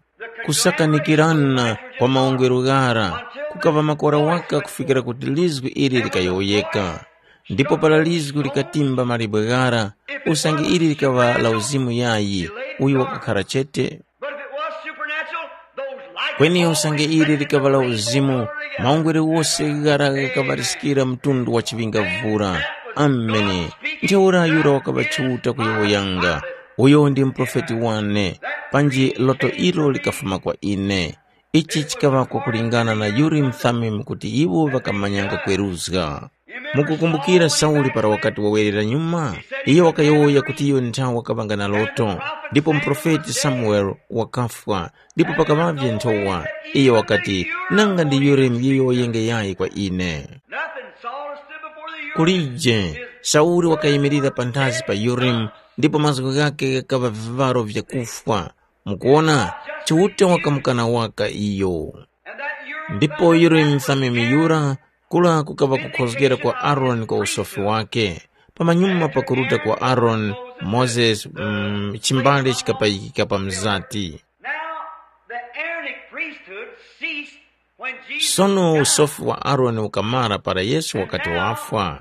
Kusakanikirana kwa maungweru ghara kukaŵa makora waka kufikira kuti lizgu ili likayowoyeka. Ndipo para lizgu likatimba mawe ghara, usange ili likaŵa la uzimu yayi, uyo wakakhara chete. But if it was supernatural, those lights Kweni usange ili likaŵa la uzimu, maungweru wose ghara ghakaŵariskira mtundu wa chiŵinga vura. Ameni. Ntheura yura wakaŵa Chiuta kuyowoyanga, uyo ndi muprofeti wane, panji loto ilo likafuma kwa ine. Ichi chikaŵa kwakulingana na Urimu Thumimu kuti iwo ŵakamanyanga kweruzga. Mukukumbukira Sauli para wakati wawerera nyuma? Iyo wakayowoya kuti iyo nthawi wakaŵanga na loto, ndipo muprofeti Samuele wakafwa, ndipo pakaŵavye nthowa. Iyo wakati, nanga ndi Urimu yiyowoyenge yayi kwa ine. Nothing. Saul stood before the Urim. Kulije, Sauli wakayimirira panthazi pa Urimu, ndipo mazgu ghakhe ghakaŵa viŵaro vyakufwa. Mukuona, Chiuta wakamukana waka iyo. And that Urim Ndipo Thumimu Urimu Thumimu yura, kula kukaŵa kukhozgera kwa Aroni kwa usofi wake. Pamanyuma pakuruta kwa Aroni, Mozesi, mm, chimbale chikapayikika pa mzati. Now, the Aaronic priesthood ceased when Jesus Sono died. Usofi wa Aroni ukamara para Yesu wakati wafwa.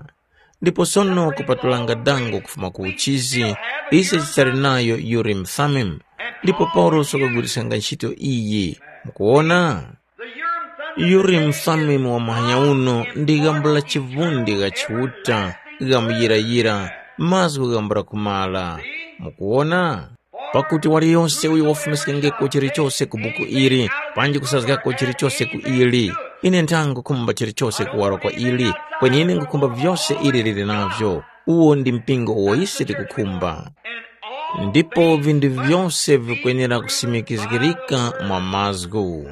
Ndipo sono kupatulanga dango kufuma ku uchizi, ise tichali nayo Urim Thummim. Ndipo Paulosi wakagwiriskanga ntchito iyi. Mukuwona? Urim Thummim wa muhanya uno ndi ghambo la chivundi gha Chiuta, ghamuyirayira, mazgu ghambula kumala. Mukuwona? Pakuti waliyose uyo wafumiskengeko chilichose ku buku ili, panji kusazgako chilichose ku ili, ine ntha nkhukhumba chilichose kuwaro kwa ili, kweni ine nkhukhumba vyose ili lili navyo. Uwo ndi mpingo uwo ise tikukhumba. Ndipo vinthu vyose vikwenera kusimikizgirika mwa mazgu.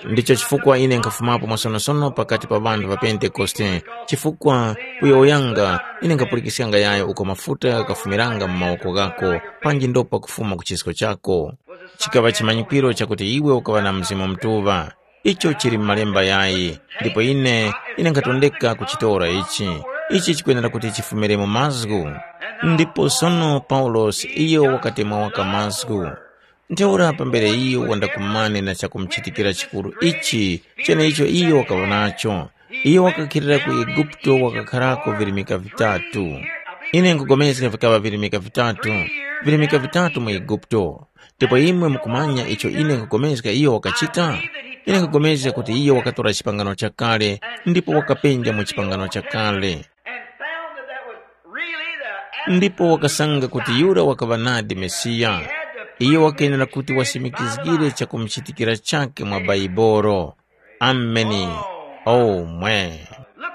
Ndicho chifukwa ine nkhafumapo mwasonosono pakati pa ŵanthu ŵa Pentekoste, chifukwa kuyowoyanga ine nkhapulikiskanga yayo uko mafuta ghakufumiranga mu mawoko ghako, panji ndopa kufuma ku chisko chako. Chikaŵa chimanyikwiro chakuti iwe ukaŵa na Mzimu Mutuŵa. Icho chili mu Malemba yayi, ndipo ine, ine nkhatondeka kuchitora ichi. Ichi chikwenera kuti chifumire mu mazgu. Ndipo sono Paulosi iyo wakatemwa waka mazgu. Ntheura pambere iyo wandakumane na chakumuchitikira chikuru ichi, cheneicho iyo wakaŵa nacho. Iyo wakakhilira ku Eguputo wakakharako virimika vitatu. Ine nkugomezga vikaŵa virimika vitatu, virimika vitatu mu Eguputo. Ndipo imwe mukumanya icho ine nkugomezga iyo wakachita? Ine nkugomezga kuti iyo wakatora chipangano chakale ndipo wakapenja mu chipangano chakale. And found that that was really the Ndipo wakasanga kuti yura wakaŵa nadi Mesiya. Iyo wakenera kuti wasimikizgire chakumuchitikira chakhe mwa Baibolo. Ameni. Oh mwe.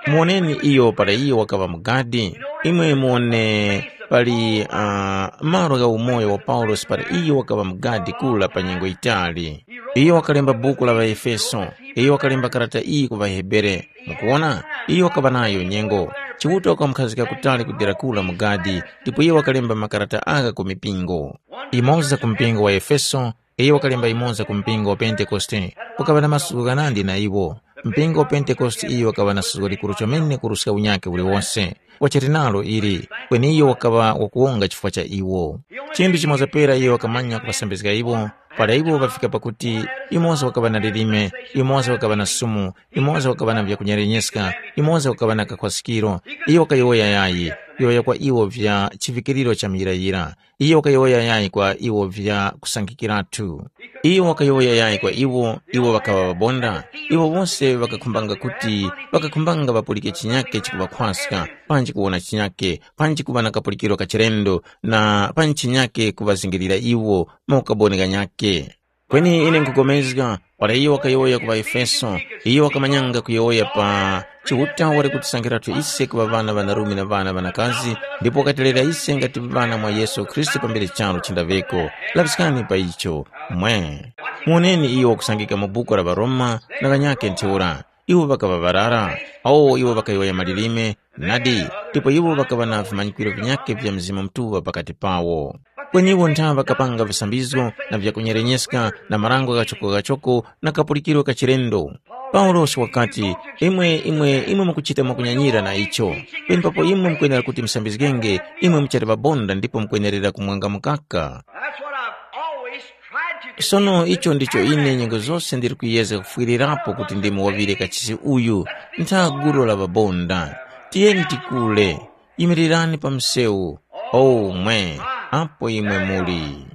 Muoneni iyo para iyo wakaŵa mugadi. Imwe muone pali uh, malo gha umoyo wa Paulosi para iyo wakaŵa mugadi kula pa nyengo yitali. Iyo wakalemba buku la ŵaEfeso. Iyo wakalemba karata iyi ku ŵaHebere. Mukuwona, iyo wakaŵa nayo nyengo. Chiuta wakamukhazika kutali kudera kula mu gadi, ndipo iyo wakalemba makarata agha ku mipingo. Imoza ku mpingo wa Efeso, iyo wakalemba imoza ku mpingo wa Pentekoste. Kukaŵa na masuko ghanandi na iwo. Mpingo wa Pentekoste iyo wakaŵa na suko likuru chomene kuruska unyakhe uliwonse. Wachali nalo ili, kweni iyo wakaŵa wakuwonga chifukwa cha iwo. Chinthu chimoza pera iyo wakamanya kuŵasambizga iwo, para iwo ŵafika pakuti, yumoza wakaŵa na lilime, yumoza wakaŵa na sumu, yumoza wakaŵa na vyakunyalenyeska, yumoza wakaŵa na kakhwasikiro. Iyo wakayowoya yayi, yowoya kwa iwo vya chivikiriro cha muyirayira. Iyo wakayowoya yayi kwa iwo vya kusangikiratu. Iyo wakayowoya yayi kwa iwo, iwo ŵakaŵa ŵabonda. Iwo wose ŵakakhumbanga kuti, ŵakakhumbanga ŵapulike chinyake chikuŵakhwaska, panji kuwona chinyake, panji kuŵa na kapulikiro ka chilendo, na panji chinyake kuŵazingirira iwo mu ukaboni ghanyakhe. Kweni ine nkugomezga, para iyo wakayowoya ku ŵaEfeso, iyo wakamanyanga kuyowoya pa Chiuta wali kutisankhiratu ise kuŵa ŵana ŵanarume na ŵana ŵanakazi, ndipo wakatilera ise ngati ŵana mwa Yesu Khristu pambere charu chindaŵeko. Laŵiskani pa icho, mwe. Muwoneni iyo wakusangika mu buku la ŵaRoma na ŵanyakhe ntheura. Iwo ŵakaŵa ŵarara, awo iwo ŵakayowoya malilime, nadi, ndipo iwo ŵakaŵa na vimanyikiro vinyakhe vya Mzimu Mutuŵa pakati pawo. Kweni iwo ntha ŵakapanga visambizgo na vyakunyerenyeskana na marango ghachoko-ghachoko na kapulikiro ka chilendo. Paulosi wakati, imwe, imwe, imwe mukuchita mwakunyanyira na icho. Penepapo imwe mukwenera kuti musambizgenge, imwe muchali ŵabonda ndipo mukwenerera kumwanga mukaka. That's what I've always tried to do. Sono icho ndicho ine nyengo zose ndiri kuyezga kufwirirapo kuti ndimuwovire kachisi uyu, ntha gulu la ŵabonda. Tiyeni tikule, yimirirani pa msewu. O mwe, apo imwe muli.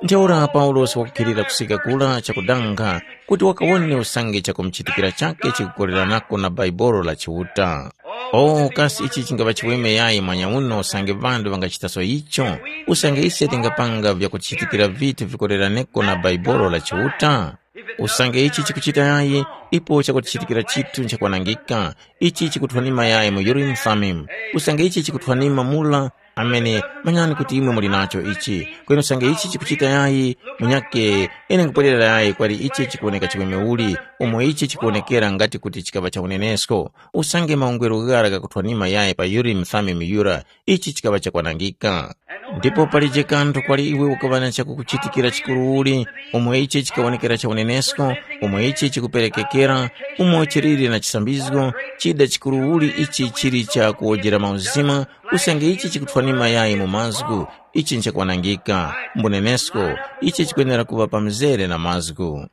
Ntheura Paulosi wakukhilira kusika kura chakudanga kuti wakawone usange chakumuchitikira chakhe chikukoleranako na Baibolo la Chiuta. O kasi ichi chingaŵa chiweme yayi mwanyauno usange ŵanthu ŵangachitaso icho? Usange ise tingapanga vyakuchitikira vithu vikoleraneko na Baibolo la Chiuta? Usange ichi chikuchita yayi, ipo chakutichitikira chithu nchakwanangika, ichi chikuthwanima yayi mu Urim Thummim. Usange ichi chikuthwanima mula, amene, manyani kuti imwe muli nacho ichi. Kweni usange ichi chikuchita yayi, munyake, ine nkupwerera yayi kwali ichi chikuwoneka chiweme uli, umo ichi chikuwonekera ngati kuti chikaŵa cha unenesko. Usange maungelo ghara ghakuthwanima yayi pa Urim Thummim yura, ichi chikaŵa chakwanangika. Ndipo palije kanthu kwali iwe ukaŵa na chakukuchitikira chikuru uli, umo ichi chikawonekera cha unenesko, umo ichi chikuperekekera, umo chiliri na chisambizgo, chida chikuru uli ichi chili cha kuwojera mauzima, usange ichi chikuthwanima yayi mu mazgu, ichi nchakwanangika, mbunenesko, ichi chikwenera kuŵa pa mzere na mazgu.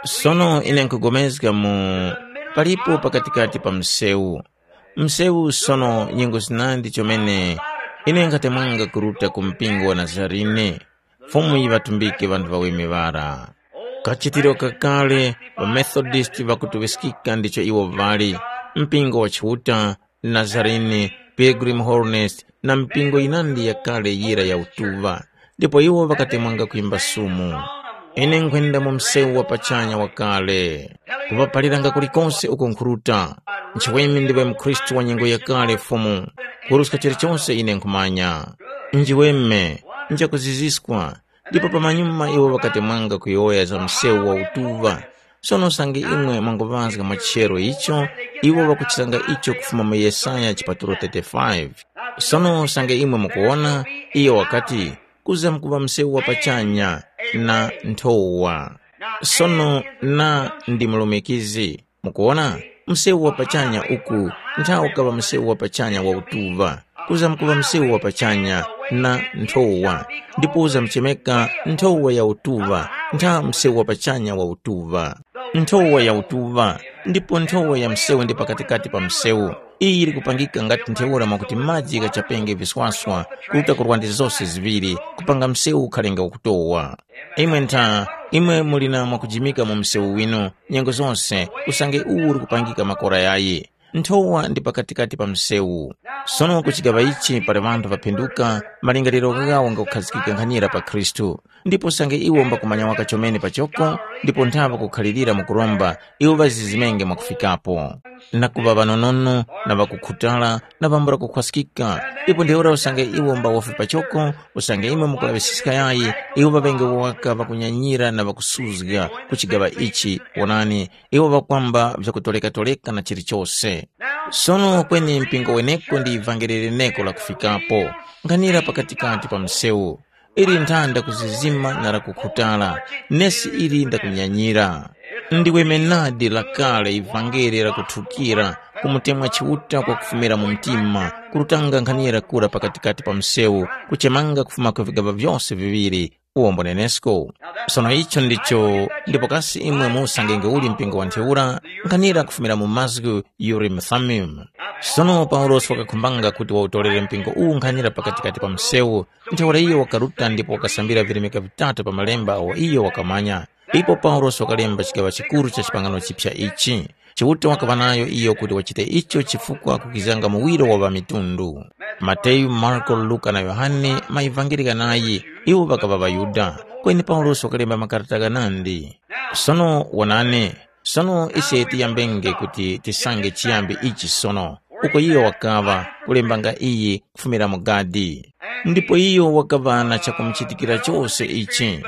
Sono ine nkugomezga mu palipo pakatikati pa msewu. Msewu sono nyengo zinandi chomene ine nkhatemwanga kuruta ku mpingo wa Nazarene. Fumu yiŵatumbike ŵanthu ŵaweme ŵara. Kachitiro kakale ŵaMethodist ŵakutuŵiskika ndicho iwo ŵali, mpingo wa Chiuta, Nazarene, Pilgrim Holiness na mipingo yinandi yakale yira ya utuŵa, ndipo iwo ŵakatemwanga kwimba sumu. Ine nkhwenda mu msewu wa pachanya wakale, kuŵaphaliranga kulikose uko nkhuruta. Nchiweme ndiwe mukhristu wa nyengo yakale Fumu, kuruska chilichose ine nkhumanya. Njiweme, nchakuziziskwa, ndipo pamanyuma iwo ŵakatemwanga kuyowoya za msewu wa utuŵa. Sono usange imwe mwangoŵazga mwa chero icho, iwo ŵakuchisanga icho kufuma mu Yesaya chipatulo thirty-five. Sono usange imwe mukuwona, iyo wakati, kuzamkuŵa msewu wa pachanya na nthowa. Sono na ndi mulumikizi. Mukuwona, msewu wa pachanya uku nthawi ukaŵa msewu wa pachanya wa utuŵa, kuzamkuŵa msewu wa pachanya na nthowa, ndipo uzamuchemeka nthowa ya utuŵa ntha msewu wa pachanya wa utuŵa. Nthowa ya utuŵa, ndipo nthowa ya msewu ndi pakatikati pa msewu. Iyi yili kupangika ngati ntheura mwakuti maji ghachapenge viswaswa kuruta ku lwande zose ziŵiri, kupanga msewu ukhalenge wakutowa. Imwe ntha, imwe muli na mwakujimika mu msewu winu, nyengo zose, usange uwu uli kupangika makora yayi. Nthowa ndi pakatikati pa msewu. Sono ku chigaŵa ichi pali ŵanthu ŵaphinduka, malingaliro ghawo ngakukhazikika nkhanira pa Khristu. Ndipo usange iwo mbakumanya waka chomene pachoko, ndipo nthaŵa kukhalirira mu kuromba, iwo ŵazizimenge mwakufikapo. Na kuŵa ŵanonono, na ŵakukhutala, na ŵambula kukhwaskika. Ndipo ntheura usange iwo mbawofi pachoko, usange imwe mukulaŵisiska yayi, iwo ŵaŵenge waka ŵakunyanyira na ŵakusuzga ku chigaŵa ichi, wonani, iwo ŵakwamba vyakutoleka-toleka na chilichose. Sono kweni mpingo weneko ndi ivangeli leneko lakufikapo, nkhanira pakatikati pa msewu. Ili nthanda kuzizima na lakukhutala, nesi ili ndakunyanyira. Ndiwe menadi lakale ivangeli lakuthukira, kumutemwa Chiuta kwakufumira mu mtima, kurutanga nkhanira kura pakatikati pa msewu, kuchemanga kufuma ku vigaŵa vyose viŵiri, uwombo nenesko. Sono icho ndicho, ndipo kasi imwe musangenge uli mpingo wa ntheura, nkhanira kufumira mu mazgu Urim Thummim. Sono Paulosi wakakhumbanga kuti wawutolere mpingo uwu nkhanira pakatikati pa msewu, ntheura iyo wakaruta ndipo wakasambira vilemeka vitatu pa malemba awo iyo wakamanya. Ipo Paulosi wakalemba chigaŵa chikuru cha chipangano chipya ichi. Chiuta wakaŵa nayo iyo kuti wachite icho chifukwa kukizanga muwiro wa ŵamitundu. Mateyu, Marko, Luka na Yohane maivangeli ghanayi, iwo ŵakaŵa ŵaYuda. Kweni Paulosi wakalemba makarata ghanandi. Sono wonani, sono ise tiyambenge kuti tisange chiyambi ichi sono, uko iyo wakaŵa kulembanga iyi kufumira mu gadi. Ndipo iyo wakaŵa na chakumuchitikira chose ichi.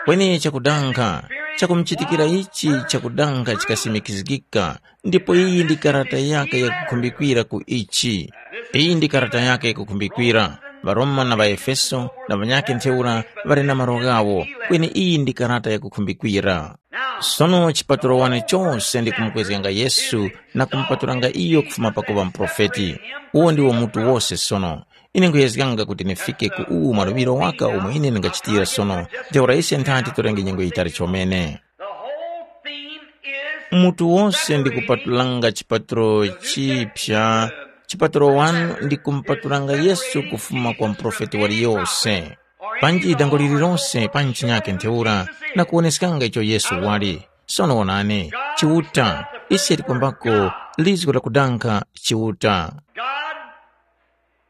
Kweni chakudankha, chakumuchitikira ichi chakudankha chikasimikizgika, ndipo iyi ndi karata yake yakukhumbikira ku ichi. Iyi ndi karata yake yakukhumbikira. །Varoma na ŵaEfeso na ŵanyakhe ntheura ŵali na malo ghawo, kweni iyi ndi karata yakukhumbikira. Sono chipatulo wane chose ndi kumukwezganga Yesu na kumupatulanga iyo kufuma pakuŵa muprofeti. Uwo ndiwo mutu wose sono. Ine nkhuyezganga kuti ndifike ku uwu mwaluŵiro waka umo ine ndingachitira sono, ntheura ise nthati torenge nyengo yitali chomene. The whole theme is Mutu wose ndi kupatulanga chipatulo chipya. Chipatulo wanu ndi kumupatulanga Yesu kufuma kwa muprofeti waliyose. Panji dango lililose pa nchinyake ntheura na kuwoneskanga icho Yesu wali. Sono wonani, Chiuta, ise tikwambako lizgo lakudankha Chiuta. God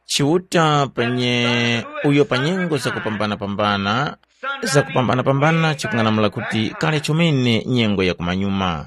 Chiuta panye uyo pa nyengo zakupambana-pambana, zakupambana-pambana chikung'anamula kuti kale chomene nyengo ya kumanyuma.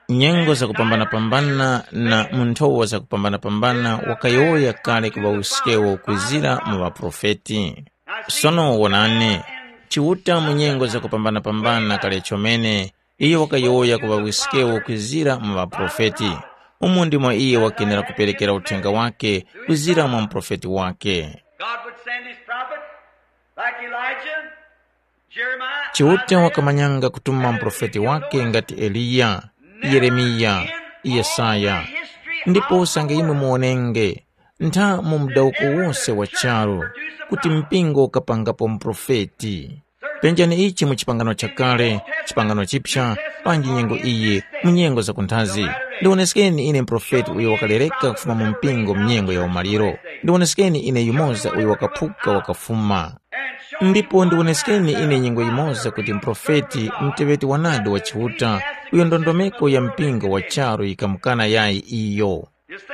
Nyengo zakupambana-pambana na mu nthowa zakupambana-pambana wakayowoya kale ku ŵauskewo kwizira mu ŵaprofeti. Sono wonani, Chiuta mu nyengo zakupambana-pambana kale chomene, iyo wakayowoya ku ŵawiskewo kwizira mu ŵaprofeti. Umo ndimo iyo wakenera kuperekera uthenga wake kwizira mwa muprofeti wake. God would send his prophet like Elijah, Jeremiah, Chiuta wakamanyanga kutuma muprofeti wake ngati Eliya, Yeremiya, Yesaya. Ndipo usange imwe muwonenge, ntha mu mudawuko wose wa charu, kuti mpingo ukapangapo muprofeti. Penjani ichi mu chipangano chakale, chipangano chipya, panji nyengo iyi, mu nyengo zakunthazi. Ndiwoneskeni ine muprofeti uyo wakalereka kufuma mu mpingo mu nyengo ya umaliro. Ndiwoneskeni ine yumoza uyo wakaphuka wakafuma. Ndipo ndiwoneskeni ine nyengo yimoza kuti muprofeti, muteŵeti wanadi wa Chiuta, uyo ndondomeko ya mpingo wa charu yikamukana yayi iyo.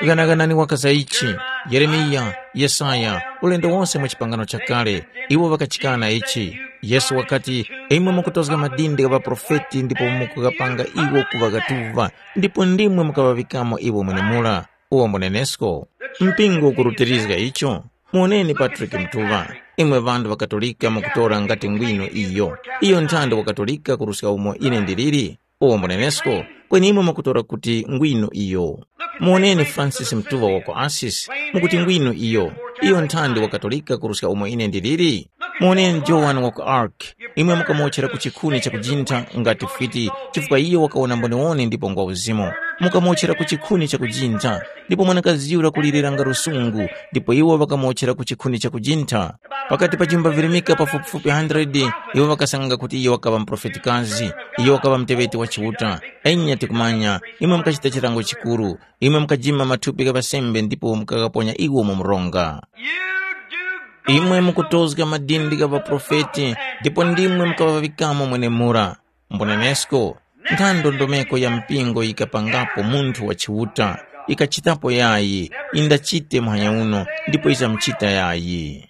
Ghanaghanani waka za ichi, Yeremiya, Yesaya, ulendo wonse mwa chipangano chakale, iwo ŵakachikana ichi. Yesu wakati, imwe mukutozga madindi gha ŵaprofeti ndipo mukughapanga iwo kuŵa ghatuva, ndipo ndimwe mukaŵaŵikamo iwo mwenemura. Uwo mbunenesko, mpingo ukurutirizga icho. Muwoneni Patrick Mtuŵa, imwe ŵanthu ŵa Katolika mukutora ngati ngwino iyo. Iyo nthandi wa Katolika kuruska umo ine ndiliri. Uwo mbunenesko, kweni imwe mukutora kuti ngwino iyo. Muwoneni Francis Mtuŵa wa ku Assisi, mukuti ngwino iyo. Iyo nthandi wa Katolika kuruska umo ine ndiliri. Muwoneni Joan wa ku Ark, imwe mukamuwotchera ku chikhuni chakujintha ngati fwiti, chifukwa iyo wakawona mboniwoni ndipo ngwa uzimu. Mukamuwotchera ku chikhuni chakujintha, ndipo mwanakazi yura kulirira nga lusungu, ndipo iwo ŵakamuwotchera ku chikhuni chakujintha. Pakati pa jumba virimika pafupifupi hundred, iwo ŵakasanganga kuti iyo wakaŵa muprofetikazi, iyo wakaŵa muteŵeti wa Chiuta. Enya tikumanya, imwe mukachita chilango chikuru, imwe mukajima mathupi gha ŵasembe ndipo mukaghaponya iwo mu mronga. Imwe mukutozga madindi gha ŵaprofeti, ndipo ndimwe mukaŵaŵikamo mwenemura. Mbunenesko, ntha ndondomeko ya mpingo yikapangapo munthu wa Chiuta, ikachitapo yayi, indachite muhanya uno, ndipo izamuchita yayi.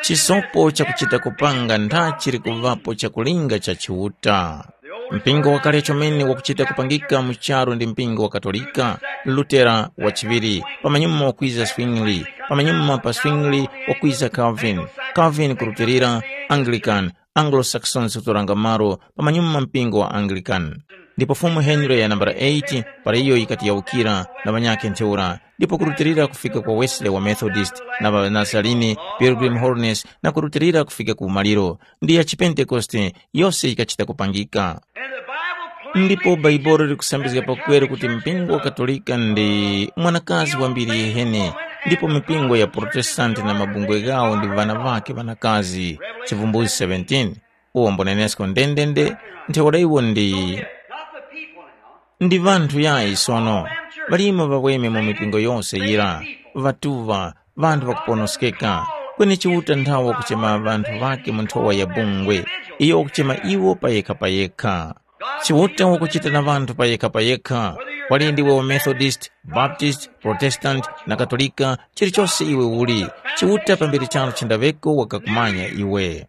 Chisopo chakuchita kupanga ntha chili kuŵapo chakulinga cha Chiuta. Mpingo wakale chomene wakuchita kupangika mu charu ndi mpingo wa Katolika, Lutera wachiŵiri, pamanyuma wakwiza Zwingli, pamanyuma pa Zwingli wakwiza Calvin, Calvin kurutilira, Anglican, Anglo-Saxons kutoranga malo pamanyuma mpingo wa Anglican. Ndipo Fumu Henry ya nambala eight para iyo yikati yawukira na ŵanyakhe ntheura, ndipo kurutilira kufika kwa Wesley wa Methodist na ŵa Nazarene, Pilgrim Holiness na kurutilira kufika ku umaliro, ndi ya Chipentekoste yose yikachita kupangika. Ndipo Bhaibuli likusambizga pakweru kuti mpingo wa Katolika ndi mwanakazi wambiri yehene, ndipo mipingo ya Protestanti na mabungwe ghawo ndi ŵana ŵakhe ŵanakazi. Chivumbuzi seventeen. Uwo mbunenesko ndendende, ntheura iwo ndi ndi ŵanthu yayi sono, ŵalimo ŵaweme mu mipingo yose yira, ŵatuŵa, ŵanthu ŵakuponoskeka. Kweni Chiuta nthawe wakuchema ŵanthu ŵakhe mu nthowa ya bungwe, iyo wakuchema iwo payekha-payekha. Chiuta wakuchita na ŵanthu payekha-payekha, wali ndiwe wa Methodist, Baptist, Protestant na Katolika, chilichose iwe uli, Chiuta pambere charo chendaŵeko wakakumanya iwe.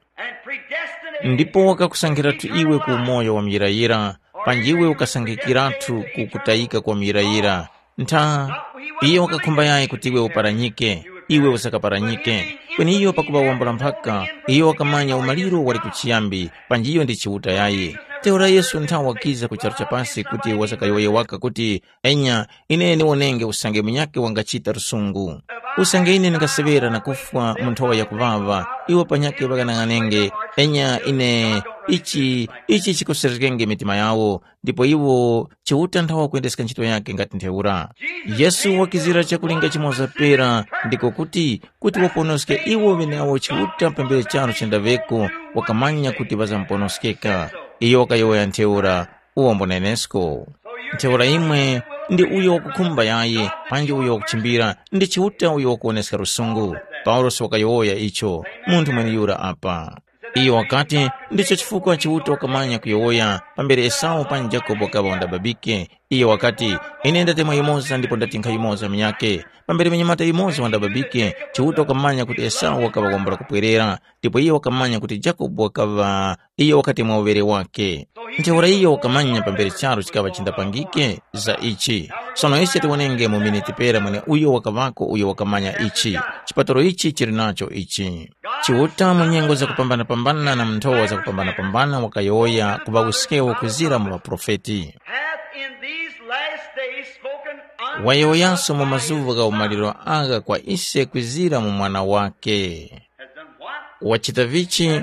Ndipo wakakusankhiratu iwe ku umoyo wa muyirayira, panji iwe ukasankhikiratu ku kutayika kwa muyirayira. Ntha, iyo wakakhumba yayi kuti iwe uparanyike, iwe usakaparanyike. Kweni iyo pakuŵa wambula mphaka, iyo wakamanya umaliro wali kuchiyambi, panji iyo ndi Chiuta yayi. Ntheura Yesu ntha wakiza ku charu cha pasi kuti wazakayowoye waka kuti, enya, ine ndiwonenge usange munyakhe wangachita lusungu. Usange ine ndingaseŵera na kufwa mu nthowa yakuŵaŵa, iwo panyakhe ŵakanang'anenge, enya ine ichi ichi chikosereskenge mitima yawo, ndipo iwo Chiuta nthawa kwendeska ntchito yakhe ngati ntheura. Yesu wakizira chakulinga chimoza pera, ndiko kuti, kuti waponoske iwo ŵeneawo Chiuta pambere charo chendaŵeko, wakamanya kuti ŵazamuponoskeka. Iyo wakayowoya ntheura, uwombo nenesko. Ntheura imwe ndi uyo wakukhumba yayi, panji uyo wakuchimbira, ndi Chiuta uyo wakuwoneska lusungu. Paulosi wakayowoya icho, munthu mweneyura apa. Iyo wakati, ndicho chifukwa Chiuta wakamanya kuyowoya, pambere Esau panji Jakobo wakaŵa wandababike. Iyo wakati, ine ndatemwa yumoza ndipo ndatinkha yumoza munyakhe. Pambere munyamata yumoza wandababike, Chiuta wakamanya kuti Esau wakaŵa wambula kupwerera, ndipo iyo wakamanya kuti Jakobo wakaŵa iyo wakati mwa uŵere wakhe. Ntheura iyo wakamanya pambere charu chikaŵa chindapangike za ichi. Sono ise tiwonenge mu miniti pera mweneuyo wakaŵako uyo wakamanya ichi. Chipatalo ichi chili nacho ichi. Chiuta mu nyengo zakupambana-pambana na mu nthowa zakupambana-pambana wakayowoya ku ŵawuskewo kuzira mu ŵaprofeti. Hath in these last days spoken unto wayowoyanso mu mazuŵa gha umaliro agha kwa ise kwizira mu mwana wake. Has done what? Wachita vichi?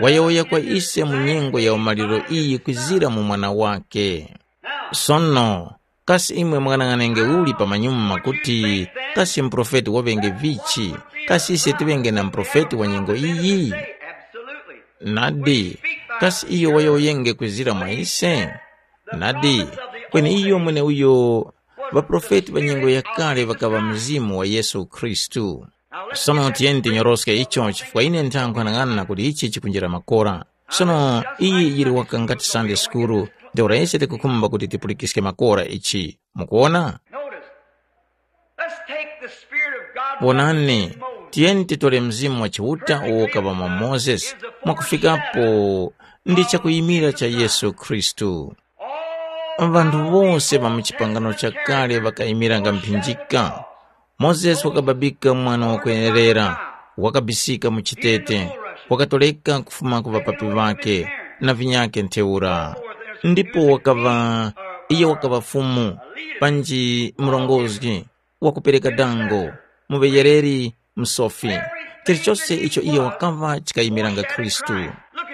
Wayowoya kwa ise mu nyengo ya umaliro iyi kwizira mu mwana wake. Sono, kasi imwe mwanang'anenge uli pamanyuma kuti kasi muprofeti waŵenge vichi? Kasi ise tiŵenge na muprofeti wa nyengo iyi? Nadi, kasi iyo wayowoyenge kwizira mwa ise? Nadi, kweni iyo mweneuyo ŵaprofeti ŵa nyengo yakale ŵakaŵa Mzimu wa Yesu Khristu. Sono tiyeni tinyoroske icho chifukwa ine nthangwanang'ana kuti ichi chikunjira makora. Sono iyi yili waka ngati Sunday School, ntheura ise tikukhumba kuti tipulikiske makora ichi. Mukuwona? Notice. Let's take the Spirit of God. Wonani, tiyeni titore Mzimu wa Chiuta uwo ukaŵa mwa Mozesi mwakufikapo ndi chakuyimira cha Yesu Khristu. Ŵanthu wose ŵa mu chipangano chakale ŵakayimiranga mphinjika. Mozesi wakababika mwana wakwenerera, wakabisika mu chitete, wakatoleka kufuma ku ŵapapi ŵakhe na vinyakhe ntheura. Ndipo wakaŵa, iyo wakaŵa fumu, panji murongozgi, wakupereka dango, muŵeyereri, msofi. Chilichose icho iyo wakaŵa chikayimiranga Khristu.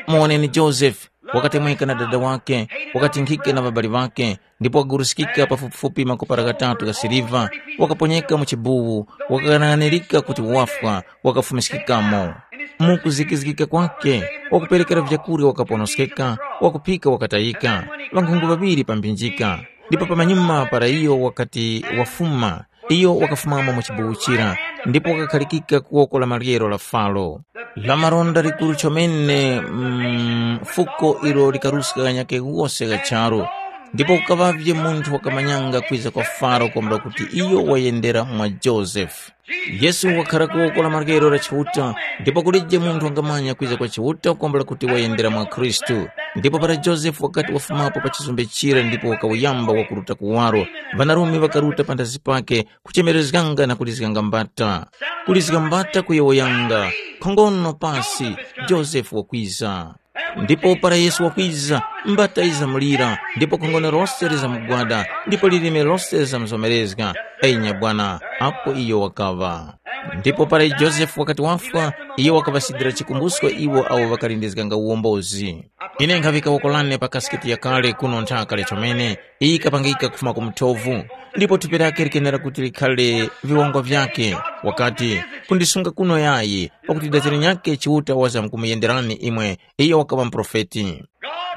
Muwoneni Josefe, wakatemweka na dada wakhe, wakatinkhika na ŵabali ŵakhe, ndipo wakaguruskika pafupifupi makopara ghatatu gha siliva, wakaponyeka mu chibuwu, wakakanang'anirika kuti wafwa, wakafumiskikamo. Mu kuzikizgika kwakhe, wakuperekera vyakurya wakaponoskeka, wakuphika wakatayika, ŵankhungu ŵaŵiri pa mphinjika. Ndipo pamanyuma para iyo wakati wafuma, iyo wakafumamo mu chibuwu chira, ndipo wakakhalikika ku woko la maryero la Faro. La maronda likuru chomene mm, fuko ilo likaruska ghanyakhe ghose gha charu. Ndipo kukaŵavye munthu wakamanyanga kwiza kwa Faro kwambula kuti iyo wayendera mwa Josefe. Yesu wakhara ku woko la maryero la Chiuta, ndipo kulije munthu wangamanya kwiza kwa Chiuta kwambula kuti wayendera mwa Khristu. Ndipo para Josefe wakati wafumapo pa chizumbe chira ndipo wakawuyamba wakuruta kuwaro, ŵanarume ŵakaruta panthazi pake, kuchemerezganga na kulizganga mbata. Kulizga mbata kuyowoyanga, khongono pasi, Josefe wakwiza. Ndipo para Yesu wakwiza, mbata yizamulira, ndipo khongono lose lizamugwada, ndipo lilime lose lizamuzomerezga, enya bwana, apo iyo wakaŵa. Ndipo para Josefe wakati wafwa, iyo wakaŵasidira chikumbusko iwo awo ŵakalindizganga uwombozi. Ine nkhaŵika woko lane pa kasiketi yakale kuno nthaka chomene, iyi ikapangika kufuma ku muthovu, ndipo thupi lake likenera kuti likhale viwongwa vyake. Wakati, kundisunga kuno yayi, pakuti daziri nyakhe Chiuta wazamkumuyenderani imwe, iyo wakaŵa muprofeti.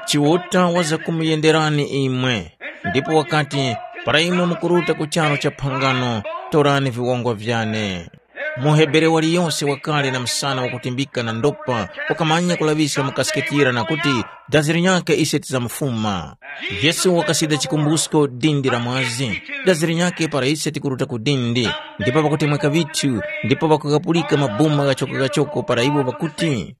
Chiuta wazakumuyenderani imwe, ndipo wakati, para imwe mukuruta ku charu cha phangano, torani viwongwa vyane. MuHebere waliyose wakale na msana wakutimbika na ndopa wakamanya kulaŵiska mu kasikitira na kuti, “Dazi linyakhe ise tizamufuma.” Yesu wakasida chikumbusko dindi la mwazi, dazi linyakhe para ise tikuruta ku dindi, ndipo pakutemweka vithu, ndipo pakukapulika mabuma ghachoko-ghachoko para iwo ŵakuti,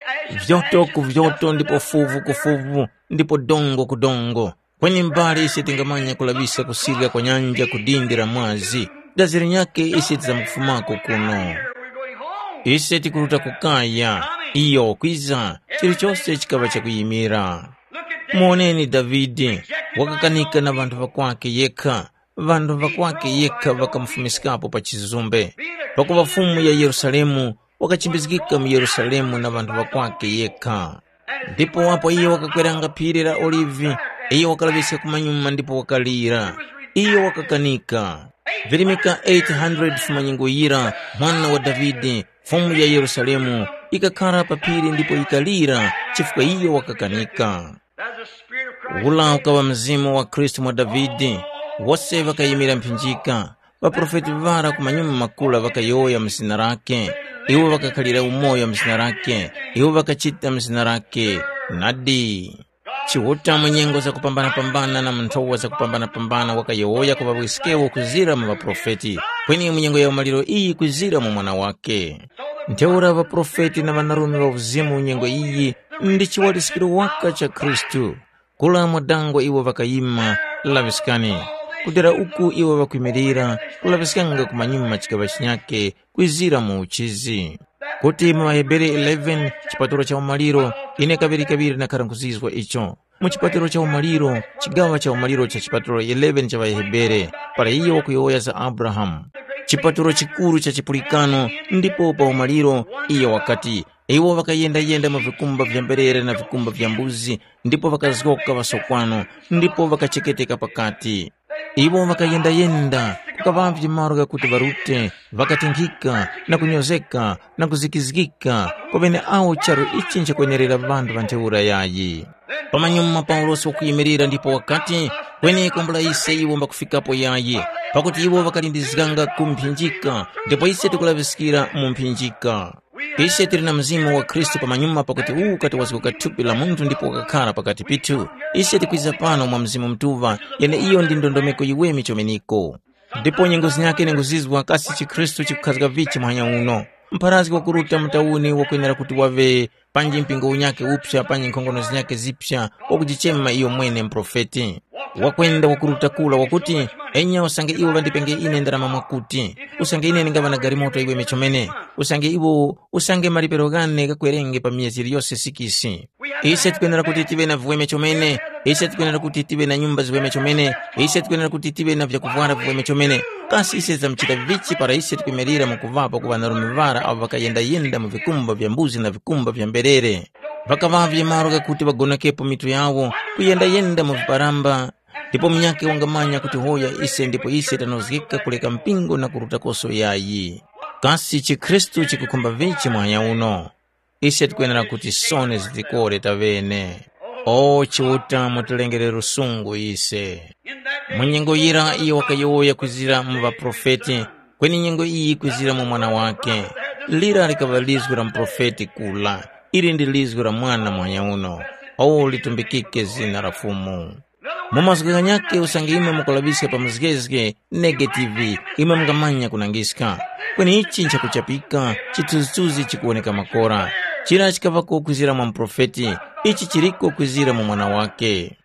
“Vyoto ku vyoto ndipo fuvu ku fuvu, ndipo dongo ku dongo.” Kweni mbali ise tingamanya kulaŵiska kusirya kwa nyanja ku dindi la mwazi, dazi linyakhe ise tizamkufumako kuno. Ise tikuruta ku kaya, iyo wakwiza, chilichose chikaŵa chakuyimira. Muwoneni Davide, wakakanika na ŵanthu ŵakwake yekha, ŵanthu ŵakwake yekha ŵakamufumiskapo pa chizumbe. Pakuŵa Fumu ya Yerusalemu, wakachimbizgika mu Yerusalemu na ŵanthu ŵakwake yekha. Ndipo apo iyo wakakweranga phiri la Olivi, iyo wakalaŵiska kumanyuma ndipo wakalira. Iyo wakakanika. Virimika eight hundred fumanyengo yira, mwana wa Davide, Fumu ya Yerusalemu, yikakhara pa phiri ndipo yikalira chifukwa iyo wakakanika. Ula ukaŵa mzimu wa Khristu mwa Davide, wose ŵakayimira mphinjika. Ŵaprofeti ŵara kumanyuma makula ŵakayowoya mu zina lakhe, iwo ŵakakhalira umoyo mu zina lakhe, iwo ŵakachita mu zina lakhe. Nadi. Chiuta mu nyengo zakupambana-pambana na mu nthowa zakupambana-pambana wakayowoya ku ŵawiskewo kuzira mu ŵaprofeti, kweni mu nyengo ya umaliro iyi kuzira mu Mwana wakhe. Ntheura ŵaprofeti na ŵanarume ŵa uzimu mu nyengo iyi ndi chiwaliskiro waka cha Khristu. Kula mwa dangwe iwo ŵakayima, laŵiskani. Kudera uku iwo ŵakwimirira, kulaŵiskanga kumanyuma chikaŵa chinyakhe kwizira mu uchizi. Kuti mu ŵaHebere eleven chipatulo cha umaliro, ine kaŵirikaŵiri ndakhara nkhuzizwa icho. Mu chipatulo cha umaliro, chigaŵa cha umaliro cha chipatulo eleven cha ŵaHebere, para iyo wakuyowoya za Abrahamu, chipatulo chikuru cha chipulikano, ndipo pa umaliro iyo wakati, iwo ŵakayendayenda mu vikumba vya mberere na vikumba vya mbuzi, ndipo ŵakazgoka ŵasokwano, ndipo ŵakacheketeka pakati. Iwo ŵakayendayenda, kukaŵavye malo ghakuti ŵarute, ŵakatinkhika, na kunyozeka, na kuzikizgika, kweni awo charu ichi nchakwenerera ŵanthu ŵa ntheura yayi. Pamanyuma Paulosi wakuyimirira ndipo wakati, kweni kwambula ise iwo mbakufikapo yayi, pakuti iwo ŵakalindizganga ku mphinjika, ndipo ise tikulaŵiskira mu mphinjika. Ise tili na Mzimu wa Khristu pamanyuma pakuti uwu ukati wazgoka thupi la munthu ndipo wakakhara pakati pithu. Ise tikwiza pano mwa Mzimu Mutuŵa, yeneiyo ndi ndondomeko yiweme chomeneko. Ndipo nyengo zinyakhe nenguzizwa kasi chikhristu chikukhazga vichi muhanya uno. Mpharazgi wakuruta mu tawuni wakwenera kuti waŵe panji mpingo unyakhe uphya panji nkhongono zinyakhe ziphya wakujichema iyo mwene muprofeti. Wakwenda wakuruta kura wakuti, enya usange iwo ŵandipenge ine ndarama mwakuti, usange ine ndingaŵa na galimoto iweme chomene, usange iwo usange malipiro ghane ghakwerenge pa myezi yiliyose sikisi. Ise tikwenera kuti tive na viweme chomene, ise tikwenera kuti tive na nyumba ziweme chomene, ise tikwenera kuti tive na vyakuvwara viweme chomene. Kasi ise tizamuchita vichi para ise tikwimirira mu kuŵapo ku ŵanarume ŵara abo ŵakayendayenda mu vikumba vya mbuzi na vikumba vya mberere? Ŵakaŵavye malo ghakuti ŵagonokepo mitu yawo, kuyendayenda mu viparamba, ndipo munyakhe wangamanya kuti hoya ise ndipo ise tanozgeka kuleka mpingo na kurutakoso yayi. Kasi chikhristu chikukhumba vichi muhanya uno? Ise tikwenera kuti soni zitikore taŵene. O Chiuta mutilengere lusungu ise. Mu nyengo yira iyo wakayowoya kwizira mu ŵaprofeti, kweni nyengo iyi kwizira mu mwana wake. Lira likaŵa lizgu la muprofeti kula, ili ndi lizgu la mwana muhanya uno. O litumbikike zina la Fumu. Mu mazgu ghanyakhe usange imwe mukulaŵiska pa muzgezge, negativi, imwe mungamanya kunangiska. Kweni ichi nchakuchapika, chithunzithunzi chikuwoneka makora. Chira chikaŵako kwizira mwa muprofeti, ichi chiriko kwizira mu mwana wake.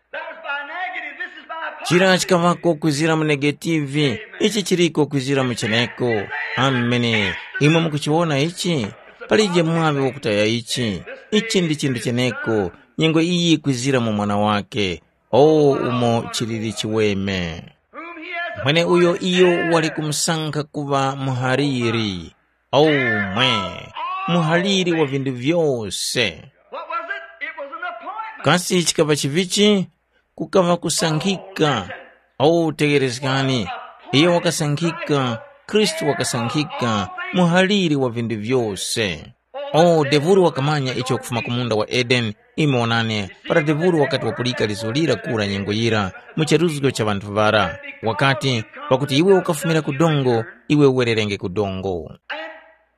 Chira chikaŵako kwizira mu negativi, ichi chiriko kwizira mu cheneko. Amene. Imwe mukuchiwona ichi? Palije mwaŵi wakutaya ichi. Ichi ndi chinthu cheneko. Nyengo iyi kwizira mu mwana wake. O umo chilili chiweme. Mweneuyo iyo wali kumusankha kuŵa muhaliri. O mwe, muhaliri wa vinthu vyose. What was it? It was an appointment. Kasi chikaŵa chivichi? Kukaŵa kusankhika. O tegherezgani, iyo wakasankhika, Khristu wakasankhika, muhaliri wa vinthu vyose. O, devuro wakamanya icho kufuma ku munda wa Edeni. Imwe wonani, para devuro wakati wapulika lizo lira kura nyengo yira, mu charuzgo cha ŵanthu ŵara, wakati, pakuti iwe ukafumira ku dongo, iwe uwererenge ku dongo.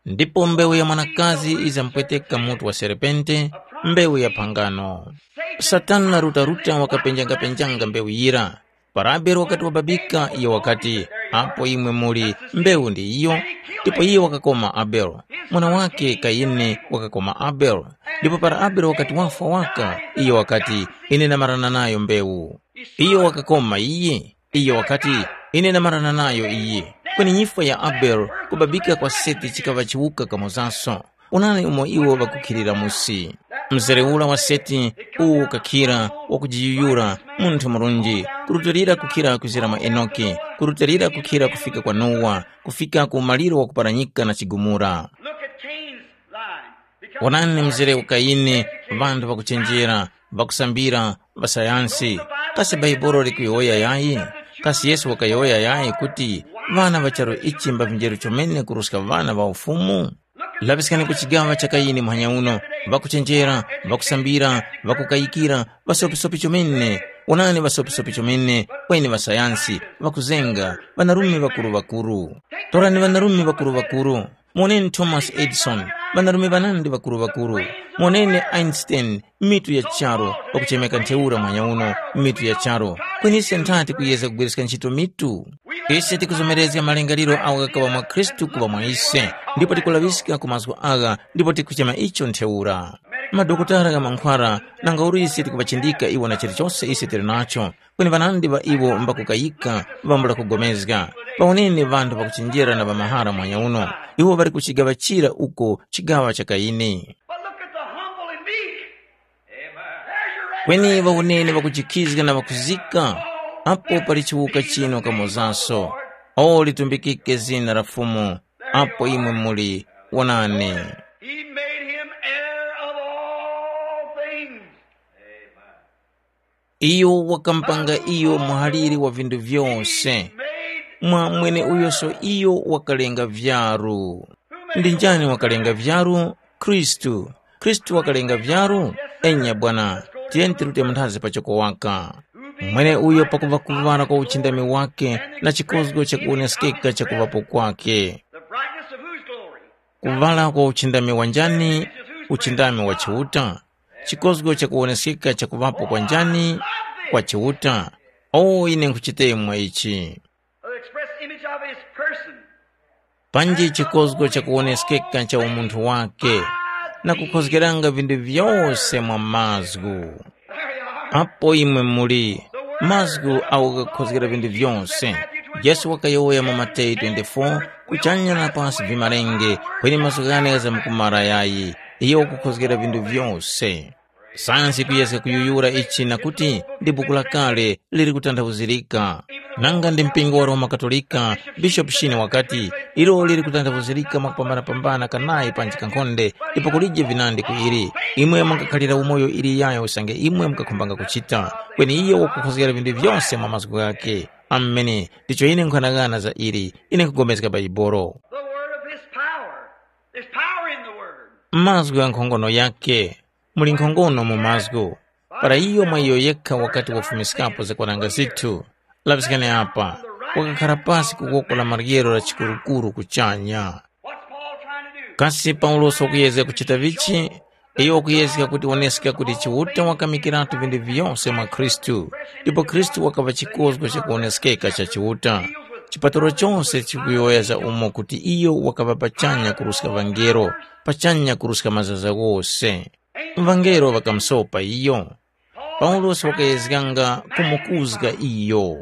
Ndipo mbewu ya mwanakazi yizamupweteka mutu wa serpente, mbewu ya phangano. Satana rutaruta wakapenjangapenjanga mbewu yira. Para Abele wakati wababika, iyo wakati, “Apo imwe muli, mbewu ndi iyo.” Ndipo iyo wakakoma Abele. Mwana wakhe Kayini wakakoma Abele. Ndipo para Abele wakati wafwa waka, iyo wakati, “Ine ndamarana nayo mbewu.” Iyo wakakoma iye. Iyo wakati, “Ine ndamarana nayo iyi.” Kweni nyifwa ya Abele kubabika kwa Seti chikaŵa chiwuka kamozaso. Onani umo iwo ŵakukhilira musi. Mzere ura wa Seti uwo ukakhira wakujiyuyura, munthu murunji, kurutilira kukhira kuzira mwa Enoki, kurutilira kukhira kufika kwa Nowa, kufika ku umaliro wa kuparanyika na chigumula. Look at Cain's line. Because Wonani mzere wa Kayini, ŵanthu ŵakuchenjera, ŵakusambira, ŵasayansi. Kasi Bhaibuli likuyowoya yayi? Kasi Yesu wakayowoya yayi kuti ŵana ŵa charu ichi mbavinjeru chomene kuruska ŵana ŵa Ufumu? Laŵiskani ku chigaŵa cha Kayini muhanya uno, ŵakuchenjera, ŵakusambira, ŵakukayikira, ŵasopisopi chomene. Wonani ŵasopisopi chomene, kweni ŵasayansi, ŵakuzenga, ŵanarume ŵakuru-ŵakuru. Torani ŵanarume ŵakuru-ŵakuru. Moneni Thomas Edison, ŵanarume ŵanandi ŵakuru-ŵakuru. Moneni Einstein, mitu ya charu, pakuchemeka ntheura mwanya uno, mitu ya charu. Kweni ise nthati kuyezga kugwiriska ntchito mitu? Ise tikuzomerezga malingaliro agho ghakaŵa mwa Khristu kuŵa mwa ise, ndipo tikulaŵiska ku mazgu agha ndipo tikuchema icho ntheura. Madokotala gha mankhwara, nanga uli ise tikuŵachindika iwo na chilichose ise tili nacho, kweni ŵanandi ŵa iwo mbakukayika, ŵambula kugomezga. Pawoneni ŵanthu ŵakuchenjera na ŵamahara mwanya uno, iwo ŵali ku chigaŵa chira uko chigaŵa cha Kayini. But look at the humble and meek. There's your Kweni ŵawoneni ŵakujikhizga na ŵakuzika, apo pali chiwuka chino kamozaso. O litumbikike zina la Fumu, apo imwe muli, wonani. He made him heir of all things. Iyo wakamupanga iyo muhaliri wa vinthu vyose. Mwa mweneuyoso iyo wakalenga vyaru. Ndi njani wakalenga vyaru? Khristu. Khristu wakalenga vyaru? Enya bwana, tiyeni tirute munthazi pachoko waka. Mweneuyo pakuŵa kuŵala kwa uchindami wake na chikozgo chakuwoneskeka chakuŵapo kwake. The brightness of whose glory? Kuŵala kwa uchindami wa njani? Uchindami wa Chiuta. Chikozgo chakuwoneskeka chakuŵapo kwa njani? Kwa Chiuta. O ine nkhuchitemwa ichi. The express image of his person. Panji chikozgo chakuwoneskeka cha umunthu wake, na kukhozgeranga vinthu vyose mwa mazgu. Apo imwe muli, mazgu awo ghakukhozgera vinthu vyose. Yesu wakayowoya mu Mateyu twenty-four, kuchanya na pasi vimalenge, kweni mazgu ghane ghazamkumara yayi. Iyo wakukhozgera vinthu vyose. Sayansi yikuyezga kuyuyura ichi na kuti ndi buku lakale liri kutanthauzirika. Nanga ndi mpingo wa Roma Katolika, Bishopu Shine wakati, ilo liri kutanthauzirika mwakupambanapambana kanayi panji kankhonde, ndipo kulije vinandi ku ili. Imwe mungakhalira umoyo ili yayo usange imwe mukakhumbanga kuchita. Kweni iyo wakukhozgera vinthu vyose mwa mazgu ghakhe. Amene, ndicho ine nkhughanaghana za ili, ine nkhupulikana Bhaibuli. The word of his power. There's power in the word. Mazgu gha nkhongono yakhe. Muli nkhongono mu mazgu. Para iyo mwa iyo yekha wakati wafumiskapo zakwananga zithu, laŵiskani apa, wakakhara pasi ku woko la maryero la chikurukuru kuchanya. What's Paul trying to do? Kasi Paulosi wakuyezga kuchita vichi? Iyo wakuyezga kuti woneska kuti Chiuta wakamikiratu vinthu vyose mwa Khristu, ndipo Khristu wakaŵa chikozgo chakuwoneskeka cha Chiuta. Chipatalo chose chikuyowoya za umo kuti iyo wakaŵa pachanya kuruska ŵangelo, pachanya kuruska mazaza ghose. Ŵangelo ŵakamusopa iyo. Paulosi wakayezganga kumukuzga iyo.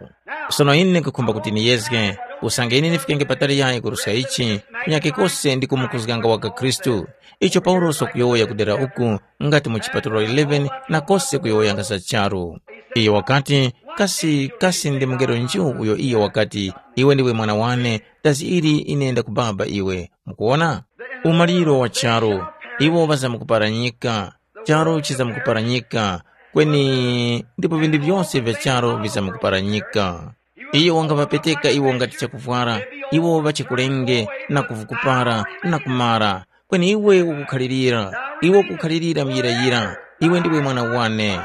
Sono ine nkhukhumba kuti niyezge, usange ine ndifikenge patali yayi kuruska ichi, kunyakhe kose ndi kumukuzganga waka Khristu. Icho Paulosi wakuyowoya kudera uku, ngati mu chipatulo eleven na kose kuyowoyanga za charu. Iyo wakati, kasi, kasi ndi mungelo nju uyo iyo wakati, iwe ndiwe mwana wane, dazi ili ine ndakubaba iwe. Mukuwona? Umaliro wa charu, iwo ŵazamkuparanyika, charu chizamkuparanyika, kweni ndipo vinthu vyose vya charu vizamkuparanyika. Iyo wangaŵapeteka iwo ngati chakuvwara, iwo ŵachikulenge na kuvukupara na kumara, kweni iwe ukukhalirira, iwe ukukhalirira muyirayira, iwe ndiwe mwana wane.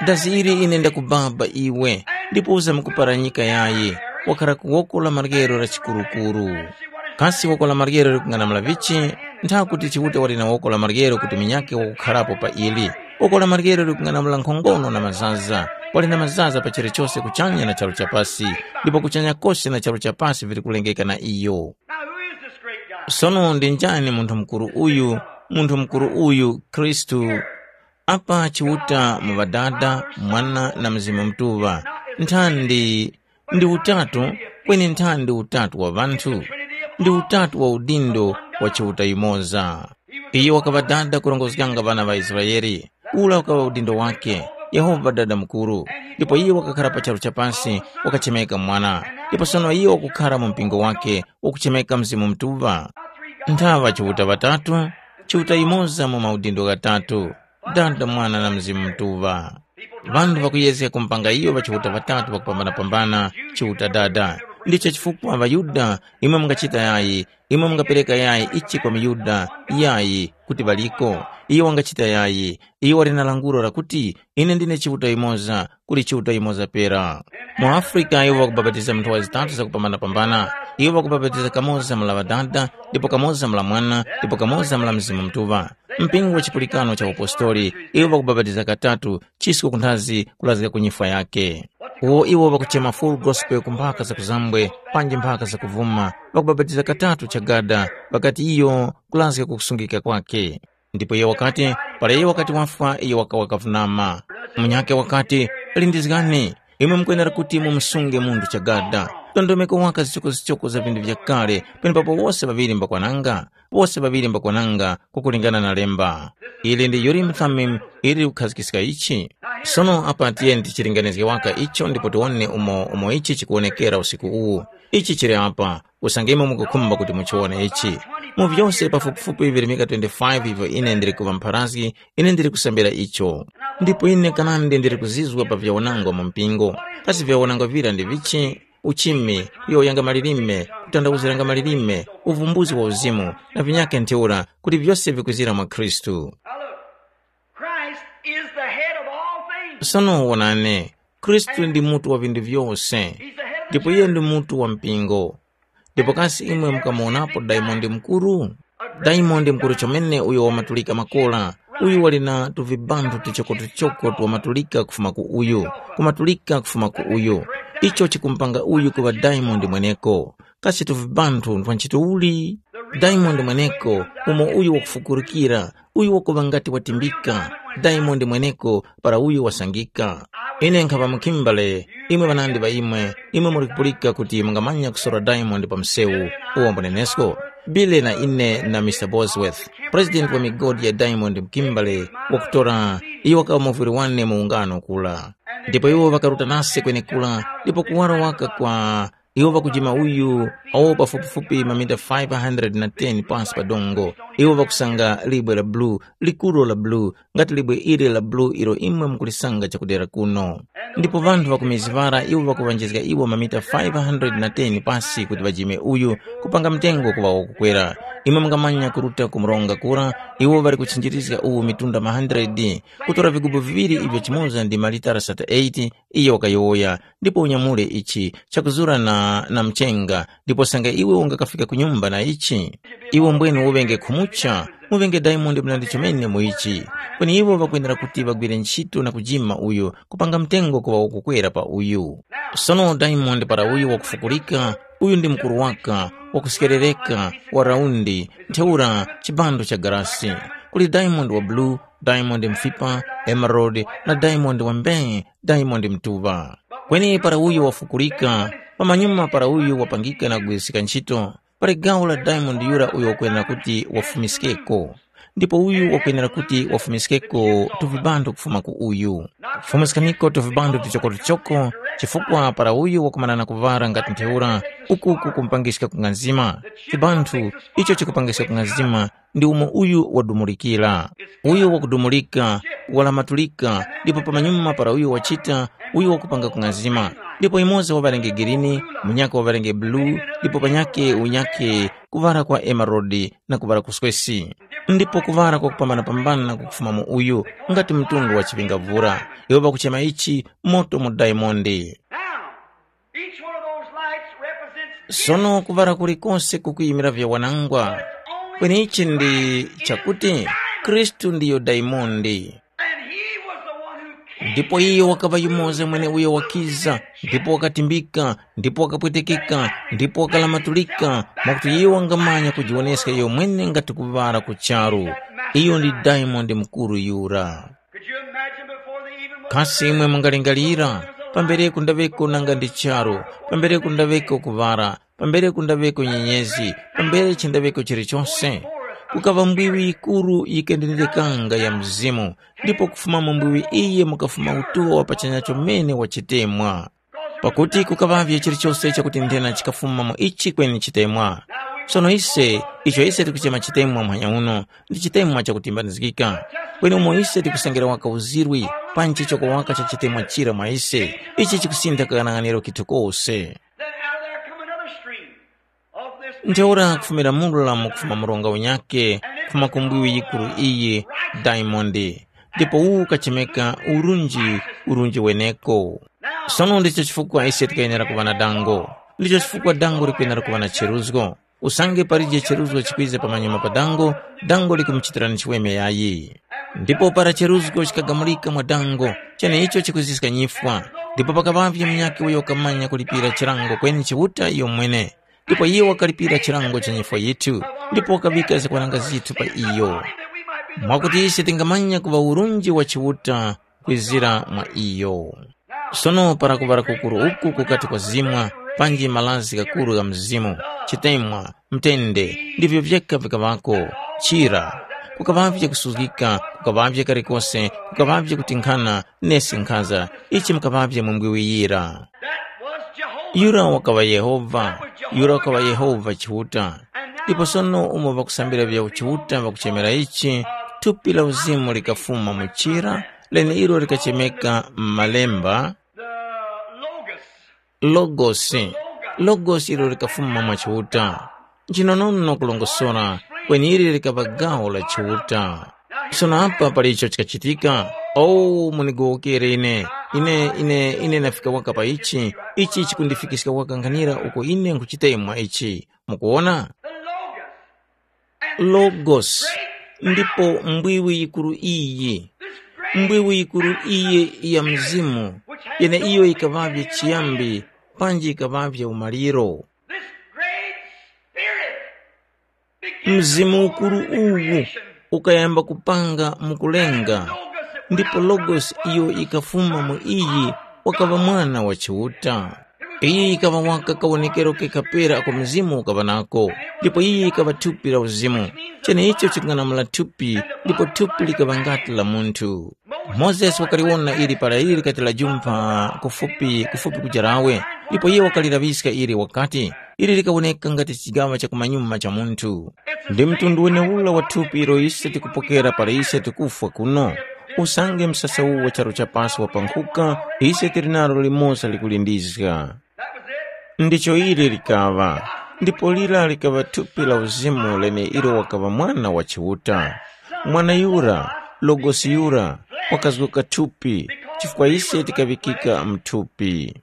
Dazi ili ine ndakubaba iwe, ndipo uzamkuparanyika yayi, wakhara ku woko la maryero la chikurukuru. Kasi woko la maryero likung'anamula vichi? Ntha kuti Chiuta wali na woko la maryero kuti munyakhe wakukharapo pa ili. Woko la maryero likung'anamula nkhongono na mazaza. Wali na mazaza pa chilichose kuchanya na charu cha pasi, ndipo kuchanya kose na charu cha pasi vili kulengeka na iyo. Now, who is this great guy? Sono ndi njani munthu mukuru uyu? Munthu mukuru uyu, Khristu. Apa Chiuta mu Ŵadada, Mwana na Mzimu Mutuŵa. Nthandi ndi utatu, kweni nthandi utatu wa ŵanthu. Ndi utatu wa udindo wa Chiuta yumoza. Iyo wakaŵa dada kurongozganga ŵana ŵa Israele. Ula ukaŵa udindo wake, Yehova Dada Mukuru. Ndipo iyo wakakhara pa charu cha pasi, wakachemeka Mwana. Ndipo sono iyo wakukhara mu mpingo wake, wakuchemeka Mzimu Mutuŵa. Nthaŵa Chiuta ŵatatu, Chiuta yumoza mu maudindo ghatatu. Dada, Mwana na Mzimu Mutuŵa. Ŵanthu ŵakuyezga kumupanga iyo ŵachiuta ŵatatu ŵakupambanapambana, Chiuta Dada. Ndicho chifukwa ŵaYuda, imwe mungachita yayi, imwe mungapereka yayi ichi kwa muYuda, yayi, kuti ŵaliko. Iyo wangachita yayi, iyo wali na langulo lakuti, ine ndine Chiuta yumoza, kuli Chiuta yumoza pera. Mu Afrika iwo ŵakubapatiza mu nthowa zitatu zakupambanapambana. Iwo ŵakubapatiza kamoza mula Ŵadada, ndipo kamoza mula Mwana, ndipo kamoza mula Mzimu Mutuŵa. Mpingo wa chipulikano cha upostori, iwo ŵakubapatiza katatu, chisko kunthazi kulazga ku nyifwa yake. Uwo iwo ŵakuchema Full Gospel ku mphaka za kuzambwe, panji mphaka za kuvuma, ŵakubapatiza katatu chagada, ŵakati iyo kulazga ku kusungika kwake. Ndipo iyo wakati, para iyo wakati wafwa, iyo wakawa kavunama. Munyakhe wakati, lindizgani, imwe mukwenera kuti mumusunge munthu chagada. Ndondomeko waka zichokozichoko za vinthu vyakale, penepapo wose ŵaŵiri mbakwananga, wose ŵaŵiri mbakwananga kukulingana na lemba. Ili ndi Urim Thummim ili likukhazikiska ichi. Sono apa tiyeni tichilinganizge waka icho ndipo tiwone umo umo ichi chikuwonekera usiku uwu. Ichi chili apa, usange imwe mukukhumba kuti muchiwone ichi. Mu vyose pafupifupi virimika twenty-five ivyo ine ndili kuŵa mpharazgi, ine ndili kusambira icho. Ndipo ine kanandi ndili kuzizwa pa vyawanangwa mu mpingo. Kasi vyawanangwa vira ndi vichi? Uchimi, kuyowoyanga malilime, kutandawuziranga malilime, uvumbuzi wa uzimu, na vinyakhe ntheura, kuti vyose vikwizira mwa Khristu. Now look, Christ is the head of all things. Sono wonani, Khristu ndi mutu wa vinthu vyose, ndipo iye ndi mutu wa mpingo. Ndipo kasi imwe mukamuwonapo Diamond Mukuru? Diamond Mukuru chomene uyo wamatulika makola, uyu wali na tuvibanthu tuchokotuchoko twamatulika kufuma ku uyu, kumatulika kufuma ku uyu. Icho chikumupanga uyu kuŵa Diamond mweneko. Kasi tuvibanthu ntwa ntchito uli? Diamond mweneko, umo uyu wakufukurukira, uyu wakuŵa ngati watimbika, Diamond mweneko para uyu wasangika. Ine nkhaŵa mu Kimberley, imwe ŵanandi ŵa imwe, imwe muli kupulika kuti mungamanya kusora Diamond pa msewu, uwo mbunenesko. Billy na ine na Mister Bosworth, president wa migodi ya Diamond mu Kimberley, wakutora, iyo wakaŵa muvwiri wane mu ungano kula. Ndipo iwo ŵakaruta nase kwenekura, ndipo kuwaro waka kwa iwo ŵakujima uyu, awo pafupifupi mamita five hundred na ten pansi pa dongo. Iwo ŵakusanga libwe la bulu, likuru la bulu, ngati libwe ili la bulu ilo imwe mukulisanga chakudera kuno. Ndipo ŵanthu ŵakumizivara iwo ŵakuŵanjizga iwo mamita five hundred na ten pasi kuti ŵajime uyu, kupanga mtengo kuŵa wakukwera. Imwe mungamanya kuruta ku mronga kura, iwo ŵali kuchinjirizga uwu mitunda ma hundred, kutora vigubu viŵiri ivyo chimoza ndi malitara sata eight, iyo wakayowoya, ndipo unyamule ichi chakuzura na, na mchenga, ndipo sanga iwe ungakafika ku nyumba na ichi. Iwe mbwene uŵenge khumucha, muŵenge Diamond mlandi chomene mu ichi. Kweni iwo ŵakwenera kuti ŵagwire ntchito na kujima uyu, kupanga mtengo kuŵa wakukwera pa uyu. Sono Diamond para uyu wakufukulika, uyu ndi mukuru waka, wakusekerereka, wa raundi, ntheura chibando cha garasi. Kuli Diamond wa blue, Diamond mfipa, emerald, na Diamond wa mbee, Diamond mtuŵa. Kweni para uyu wafukulika, pamanyuma para uyu wapangika na kugwiriska ntchito, pali gawo la Diamond yura uyo wakwenera kuti wafumiskeko. Ndipo uyu wakwenera kuti wafumiskeko tuvibando kufuma ku uyu. Fumiskaniko tuvibando tuchokotuchoko, chifukwa para uyu wakumanana kuŵara ngati ntheura, uku kukumupangiska kung'anzima. Chibanthu icho chikupangiska kung'anzima ndi umo uyu wadumulikira. Uyu wakudumulika, walamatulika, ndipo pamanyuma para uyu wachita, uyu wakupanga kung'anzima. Ndipo imoza waŵarenge girini, munyaka waŵarenge bulu, ndipo panyake unyake kuŵara kwa emerodi na kuŵara kuswesi. Ndipo kuŵara kwakupambanapambana kukufuma mu uyu, ngati mtundu wa chiŵingavura. Iwo ŵakuchema ichi moto mu daimondi. Now, each one of those lights represents Sono kuŵala kulikose kukuyimira vyawanangwa. Kweni ichi ndi chakuti Khristu ndiyo daimondi. And he was the one who came. Ndipo iye wakaŵa yumoza mwene uyo wakiza, ndipo wakatimbika, ndipo wakapwetekeka, ndipo wakalamatulika, mwakuti iye wangamanya kujiwoneska iyo mwene ngati kuŵala ku charu. Iyo ndi diamond mukuru yura. Could you imagine before they even were Kasi imwe mungalingalira, pambereko ndaŵeko nanga ndi charu, pambereko ndaŵeko kuŵala, pambere kundaŵeko nyenyezi, pambere chindaŵeko chilichonse, kukaŵa mbwiwi yikuru yikendendekanga ya mzimu, ndipo kufuma mu mbwiwi iyi mukafuma utuwa wa pachanya chomene wa chitemwa. Pakuti kukaŵavye chilichonse chakuti nthena chikafuma mu ichi kweni chitemwa. Sono ise, icho ise tikuchema chitemwa muhanya uno, ndi chitemwa chakutimbanizgika. Kweni umo ise tikusengera waka uzirwi, panji choko waka cha chitemwa chira mwa ise, ichi chikusintha kaghanaghaniro kithu kose. Then out of there come another stream of this Ntheura kufumira mula mukufuma mronga unyakhe, kufuma ku mbwiwi yikuru iyi, Diamond. Ndipo uwu ukachemeka urunji, urunji weneko. Sono ndicho chifukwa ise tikayenera kuŵa na dango. Ndicho chifukwa dango likuyenera kuŵa na cheruzgo. Usange palije cheruzgo chikwiza pamanyuma pa dango, dango likumuchitirani chiweme yayi. Ndipo para cheruzgo chikagamulika mwa dango, cheneicho chikwiziska nyifwa. Ndipo pakaŵavye munyakhe uyo wakamanya kulipira chilango kweni Chiuta iyomwene. Ndipo iye wakalipira chilango cha nyifwa yithu, ndipo wakaŵika zakwaranga zithu pa iyo, mwakuti ise tingamanya kuŵa urunji wa Chiuta kwizira mwa iyo. Sono para kuŵala kukuru uku kukati kwazimwa, panji malazi ghakuru gha Mzimu, chitemwa, mtende, ndivyo vyeka vikaŵako, chira, kukaŵavye kusuzgika, kukaŵavye kalikose, kukaŵavye kutinkhana, nesi nkhaza, ichi mukaŵavye mu mbwiwiyira. That was Jehovah. Yura wakaŵa Yehova, yura wakaŵa Yehova Chiuta. Ndipo sono umo ŵakusambira vya Chiuta ŵakuchemera ichi, thupi la uzimu likafuma mu chira, leneilo likachemeka m'malemba, The Logos. Logosi. Logosi ilo likafuma mwa Chiuta. Nchinonono kulongosora, kweni ili likaŵa gawo la Chiuta. Sono apa pali icho chikachitika, “Oh, munigowokere ine. Ine, ine, ine ndafika waka pa ichi. Ichi chikundifikiska waka nkhanira uko ine nkhuchitemwa ichi.” Mukuwona? The Logos. Logos, ndipo mbwiwi yikuru iyi, mbwiwi yikuru iyi ya Mzimu, yeneiyo yikaŵavye chiyambi, panji yikaŵavye umaliro. This great Spirit begins Mzimu ukuru uwu ukayamba kupanga mukulenga, ndipo Logos iyo ikafuma mu iyi wakaŵa mwana wa Chiuta. Iyi ikaŵa waka kawonekero kekapera ako Mzimu ukaŵa nako, ndipo iyi ikaŵa thupi la uzimu. Cheneicho chikung'anamula thupi, ndipo thupi likaŵa ngati la munthu. Mozesi wakaliwona ili para ili likati lajumpha kufupi, kufupi kuja lawe, ndipo iye wakalilaŵiska ili wakati, ili likawoneka ngati chigaŵa cha kumanyuma cha munthu. Ndi mtundu wenewura wa thupi ilo ise tikupokera para ise tikufwa kuno. Usange msasa uwu wa charu cha pasi wapankhuka, ise tili nalo limoza likulindizga. Ndicho ili likaŵa, ndipo lira likaŵa thupi la uzimu lene ilo wakaŵa Mwana wa Chiuta. Mwana yura, Logosi yura, wakazgoka thupi, chifukwa ise tikaŵikika mthupi.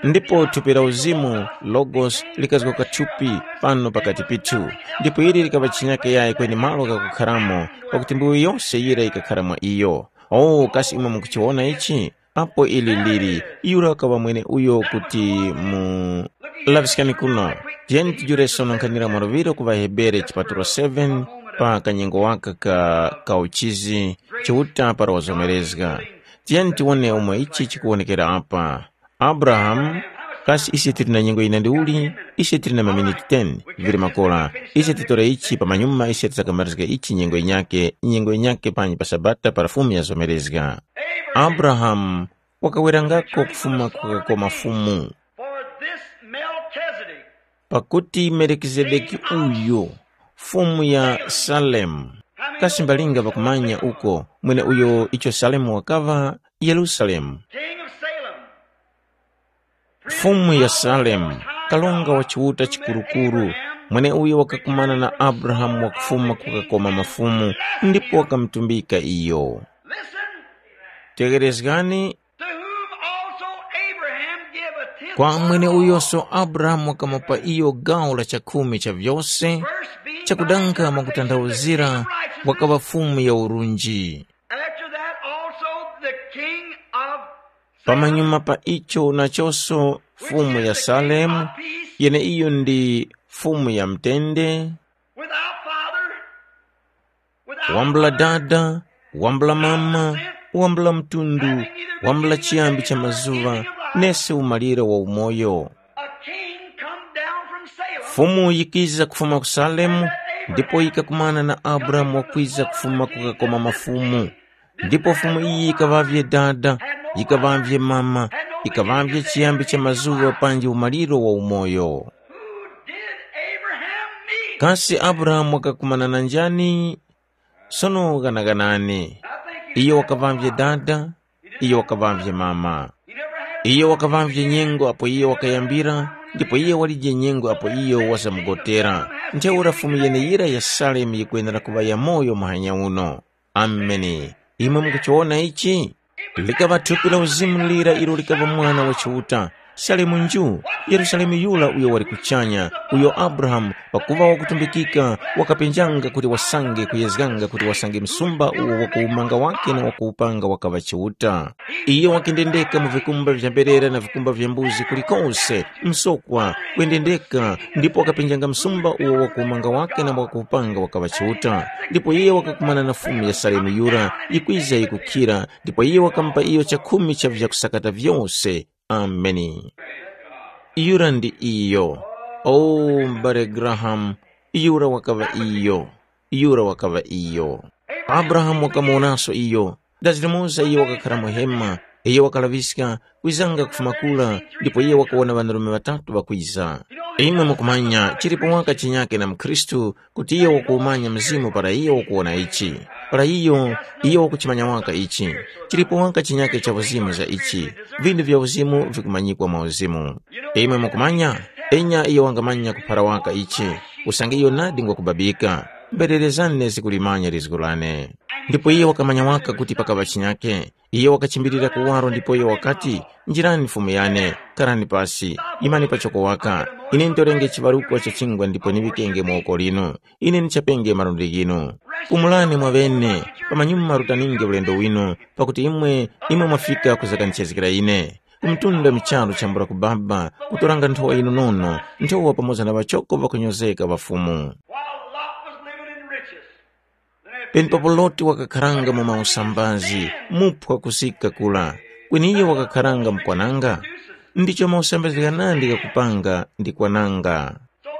Ndipo thupi la uzimu, Logos, likazgoka thupi pano pakati pithu, ndipo ili likaŵa chinyake yayi kweni malo ghakukharamo, pakuti mbuyo yose yira yikakhara mwa iyo. Oh, kasi imwe mukuchiwona ichi? Apo ili lili, yura wakaŵa mwene uyo kuti mu laviskani kuno. Tiyeni tijule sono nkhanira mwaluŵiro ku ŵaHebere chipatulo seven pa kanyengo waka ka kauchizi Chiuta para wazomerezga. Tiyeni tiwone umo ichi chikuwonekera apa. Abrahamu, kasi ise tili na nyengo yina ndiuli? Ise tili na maminiti ten, vili makora. Ise titore ichi pamanyuma ise tisakamarizga ichi nyengo yinyakhe, nyengo yinyakhe panyi pa Sabata para Fumu yazomerezga. Abrahamu wakawerangako kufuma ku kakoma Fumu. For this Melchizedek, Pakuti Melikizedeki uyu, Fumu ya Salemu, kasi mbalinga ŵakumanya uko, mweneuyo icho Salemu wakaŵa? Yerusalemu. King of Salem, Fumu ya Salemu, kalonga wa Chiuta chikurukuru, mweneuyo wakakumana na Abrahamu wakufuma ku kakoma mafumu, ndipo wakamutumbika iyo. Listen, Tegherezgani, to whom also Abraham gave a tenth Kwa mweneuyoso Abrahamu wakamupa iyo gawo la chakhumi cha vyose, chakudanga mwakutanthauzira wakaŵa fumu ya urunji. After that also the king of Pamanyuma pa icho nachonso fumu ya Salemu, yeneiyo ndi fumu ya mtende, without father, without wambula dada, wambula mama, wambula mtundu, wambula chiyambi cha mazuva, nesi umalire wa umoyo. A king come down from Salem. Fumu yikiza kufuma ku Salemu, ndipo yikakumana na Abrahamu wakwiza kufuma kukakoma mafumu. Ndipo fumu iyi yikaŵavye dada, yikaŵavye mama, yikaŵavye chiyambi cha mazuŵa panji umaliro wa umoyo. Who did Abraham meet? Kasi Abrahamu wakakumana na njani? Sono ghanaganani. Iyo wakaŵavye dada, iyo wakaŵavye mama. Iyo wakaŵavye nyengo apo iyo wakayambira, ndipo iyo walije nyengo apo iyo wasamugotera. Ntheura fumu yeneyira ya Salemu yikwenera kuŵa yamoyo muhanya uno. Ameni. Imwe mukuchiwona ichi? Likaŵa thupi la uzimu lira ilo likaŵa mwana wa Chiuta. Salemu nju, Yerusalemu yura uyo wali kuchanya, uyo Abrahamu, pakuŵa wakutumbikika, wakapenjanga kuti wasange kuyezganga kuti wasange msumba uwo wakuwumanga wake na wakuwupanga wakaŵa Chiuta. Iyo wakendendeka mu vikumba vya mberera na vikumba vya mbuzi kulikose, msokwa, kwendendeka, ndipo wakapenjanga msumba uwo wakuwumanga wake na wakuwupanga wakaŵa Chiuta. Ndipo iye wakakumana na Fumu ya Salemu yura, yikwiza yikukhira, ndipo iye wakamupa iyo chakhumi cha vyakusakata vyose. Ameni. Yura ndi iyo. O, m'bale Grahamu, yura wakaŵa iyo. Yura wakaŵa iyo. Abrahamu wakamuwonaso iyo. Dazilimoza iyo wakakhara mu hema, iyo wakalaŵiska, kwizanga kufuma kura, ndipo iyo wakawona ŵanarume ŵatatu ŵakwiza. Imwe mukumanya, chilipo waka chinyake na mukhristu, kuti iyo wakuwumanya Mzimu para iyo wakuwona ichi. Para iyo, iyo wakuchimanya waka ichi. Chilipo waka chinyake cha uzimu za ichi. Vindu vya uzimu vikumanyikwa mwa uzimu. Imwe mukumanya, enya iyo wangamanya kuphara waka ichi, usange iyo nadi ngwakubabika. Mbererezani nezi kulimanya lizgu lane. Ndipo iyo wakamanya waka kuti pakaŵa chinyake. Iyo wakachimbirira kuwaro ndipo iyo wakati, njirani fumu yane, karani pasi, imani pachoko waka. Ine nditorenge chiŵarukwa cha chingwa ndipo niŵikenge mu woko linu. Ine ndichapenge malundi ghinu. Pumulani mwaŵene, pamanyuma rutaninge ulendo winu, pakuti imwe, imwe mwafika kuzakanichezgera ine. Kumtunda micharu chambula ku baba, kutoranga nthowa yinu nono, nthowa pamoza na ŵachoko ŵakunyozeka ŵa Fumu. While Lot was living in riches, penepapo Loti wakakharanga mu mausambazi, muphwa kusika kula, kweni iyo wakakharanga mukwananga. Ndicho mausambazi ghanandi ghakupanga ndi kwananga.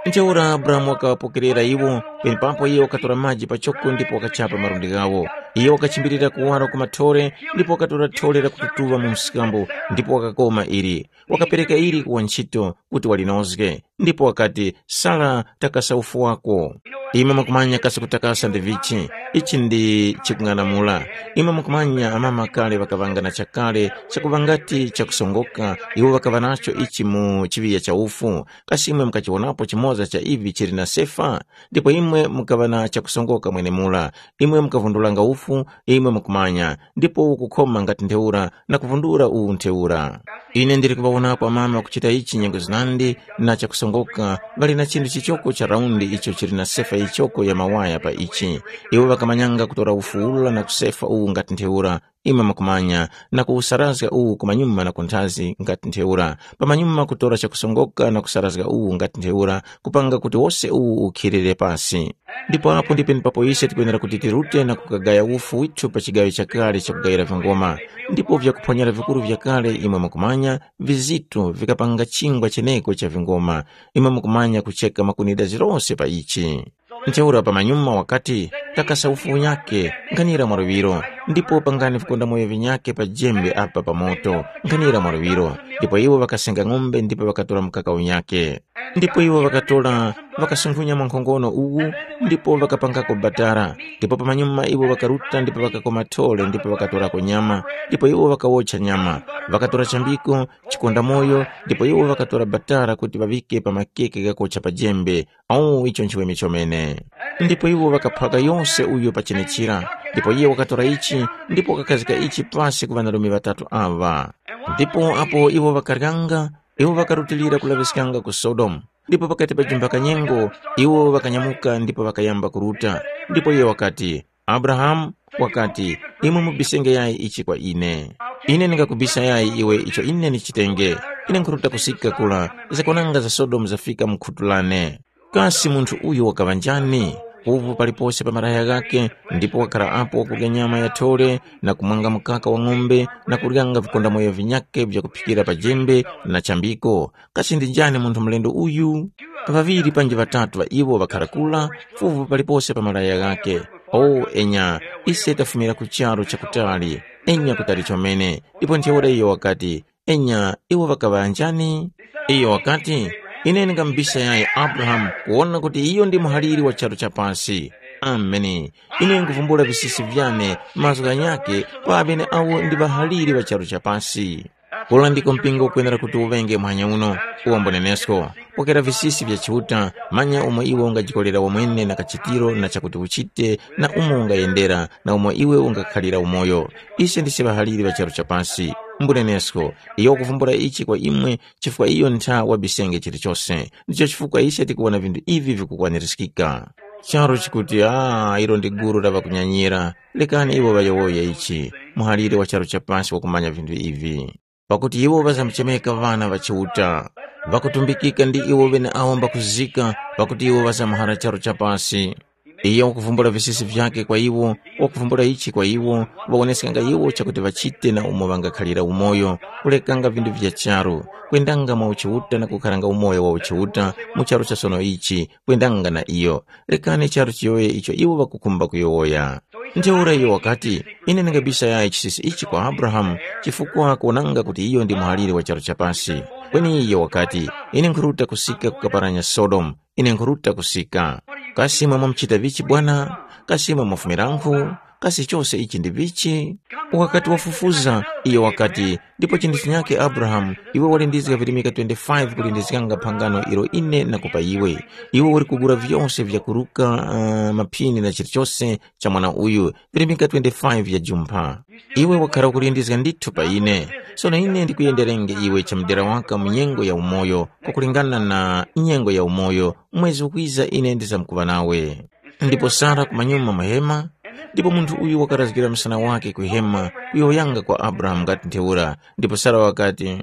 Ntheura Abrahamu wakaŵapokerera iwo, penepapo iye wakatora maji pachoko ndipo wakachapa malundi ghawo. Iye wakachimbirira kuwaro ku mathore, ndipo wakatora thore lakututuŵa mu msikambo, ndipo wakakoma ili. Wakapereka ili ku wantchito kuti walinozge, ndipo wakati, sara, takasa ufu wako. Imwe mukumanya kasi kutakasa ndi vichi? Ichi ndi chikung'anamula. Imwe mukumanya amama kale ŵakaŵanga na chakale chakuŵa ngati chakusongoka, iwo ŵakaŵa nacho ichi mu chiŵiya cha ufu. Kasi imwe mukachiwonapo chimoza cha ivi chili na sefa? Ndipo imwe mukaŵa na chakusongoka mwenemula. Imwe mukavundulanga ufu, imwe mukumanya, ndipo ukukhoma ngati ntheura na kuvundura uwu ntheura. Ine ndili kuŵawonapo amama kuchita ichi nyengo zinandi na chakusongoka, ŵali na chinthu chichoko cha raundi icho chili na sefa yichoko ya mawaya pa ichi. Iwo ŵakamanyanga kutora ufu ula na kusefa uwu ngati ntheura, imwe mukumanya, na kuwusarazga uwu kumanyuma na kunthazi ngati ntheura, pamanyuma kutora chakusongoka na kusarazga uwu ngati ntheura, kupanga kuti wose uwu ukhilire pasi. Ndipo apo ndi penepapo ise tikwenera kuti tirute na kukagaya ufu withu pa chigaŵi chakale chakugayira vingoma. Ndipo vyakuphwanyera vikuru vyakale imwe mukumanya, vizito vikapanga chingwa cheneko cha vingoma. Imwe mukumanya kucheka makunida zirose pa ichi. Ntheura pamanyuma wakati, takasa ufu unyake, nkhanira mwa luŵiro, ndipo pangani vikondamoyo vinyake pa jembe apa pa moto, nkhanira mwa luŵiro. Ndipo iwo ŵakasenga ng'ombe ndipo ŵakatora mukaka unyake. Ndipo iwo ŵakatora, ŵakasunkhunya mwankhongono uwu, ndipo ŵakapangako batara. Ndipo pamanyuma iwo ŵakaruta ndipo ŵakakoma thole ndipo ŵakatorako nyama, ndipo iwo ŵakawotcha nyama. Ŵakatora chambiko, chikondamoyo, ndipo iwo ŵakatora batara kuti ŵaŵike pa makeke ghakocha pa jembe. Awu icho nchiweme chomene. Ndipo iwo ŵakaphwaka yose uyo pa chenechira, ndipo iye wakatora ichi, ndipo wakakhazika ichi pasi ku ŵanarume ŵatatu aŵa. Ndipo apo iwo ŵakaryanga, Iwo ŵakarutilira kulaŵiskanga ku Sodomu. Ndipo pakati pa jimphaka nyengo, iwo ŵakanyamuka ndipo ŵakayamba kuruta. Ndipo iyo wakati, Abrahamu, wakati, imwe mubisenge yayi ichi kwa ine. Ine ndingakubisa yayi iwe icho ine ndichitenge. Ine nkhuruta kusika kula, zakwananga za Sodomu zafika mu khutu lane. Kasi munthu uyu wakaŵa njani? Uvu palipose pa malaya ghake, ndipo wakhala apo wakurya nyama ya thole, na kumwanga mukaka wa ng'ombe, na kuryanga vikondamoyo vinyakhe vyakuphikira pa jembe na chambiko. Kasi ndi njani munthu mlendo uyu? Ŵaŵiri panji ŵatatu ŵa iwo ŵakhara kula, fuvu palipose pa malaya ghake. O enya, ise tafumira ku charu chakutali, enya kutali chomene. Ndipo ntheura iyo wakati, enya, iwo ŵakaŵa njani? Iyo wakati, ine ndingamubisa yayi Abrahamu kuwona kuti iyo ndi muhaliri wa charu cha pasi. Ameni. Ine nkuvumbula visisi vyane mazgu ghanyakhe kwa ŵeneawo ndi ŵahaliri ŵa charu cha pasi. Kula ndiko mpingo ukwenera kuti uŵenge muhanya uno, uwo mbunenesko. Pokera visisi vya Chiuta, manya umo iwe ungajikolera wamwene na kachitiro na chakuti uchite na umo ungayendera na umo iwe ungakhalira umoyo. Ise ndise ŵahaliri ŵa charu cha pasi. Mbunenesko, iyo wakuvumbula ichi kwa imwe chifukwa iyo ntha wabisenge chilichose. Ndicho chifukwa ise tikuwona vinthu ivi vikukwanirizgika. Charu chikuti, ah, ilo ndi gulu la ŵakunyanyira. Lekani iwo ŵayowoye ichi, muhalire wa charu cha pasi wakumanya vinthu ivi. Pakuti iwo ŵazamuchemeka ŵana ŵa Chiuta, ŵakutumbikika ndi iwo ŵeneawo mbakuzika, pakuti iwo ŵazamuhara charu cha pasi. Iyo wakuvumbula visisi vyakhe kwa iwo, wakuvumbula ichi kwa iwo, ŵawoneskanga iwo chakuti ŵachite na umo ŵangakhalira umoyo, kulekanga vinthu vya charu, kwendanga mwa uchiuta na kukharanga umoyo wa uchiuta mu charu cha sono ichi, kwendanga na iyo. Rekani charu chiyowoye icho iwo ŵakukhumba kuyowoya. Ntheura iyo wakati, ine ndingabisa yayi chisisi ichi kwa Abrahamu, chifukwa kuwonanga kuti iyo ndi muhaliri wa charu cha pasi. Kweni iyo wakati, ine nkhuruta kusika kukaparanya Sodomu, ine nkhuruta kusika. Kasi imwe mwamuchita vichi bwana? Kasi imwe mwafumirankhu? Kasi chose ichi ndi vichi? Wakati wafufuza, iyo wakati, ndipo chinthu chinyakhe Abrahamu, iwe walindizga virimika twenty-five kulindizganga phangano ilo ine nakupa iwe. Iwe uli kugula vyose vyakuruka uh, maphini na chilichose cha mwana uyu, virimika twenty-five vya jumpha. Iwe wakhara ukulindizga ndithu pa ine. Sono ine ndikuyenderenge iwe chamudera waka mu nyengo ya umoyo, kwakulingana na nyengo ya umoyo, mwezi ukwiza ine ndizamkuŵa nawe. Ndipo Sara kumanyuma mu hema, ndipo munthu uyu wakarazgira msana wake ku hema kuyowoyanga kwa Abrahamu ngati ntheura. Ndipo Sara wakati,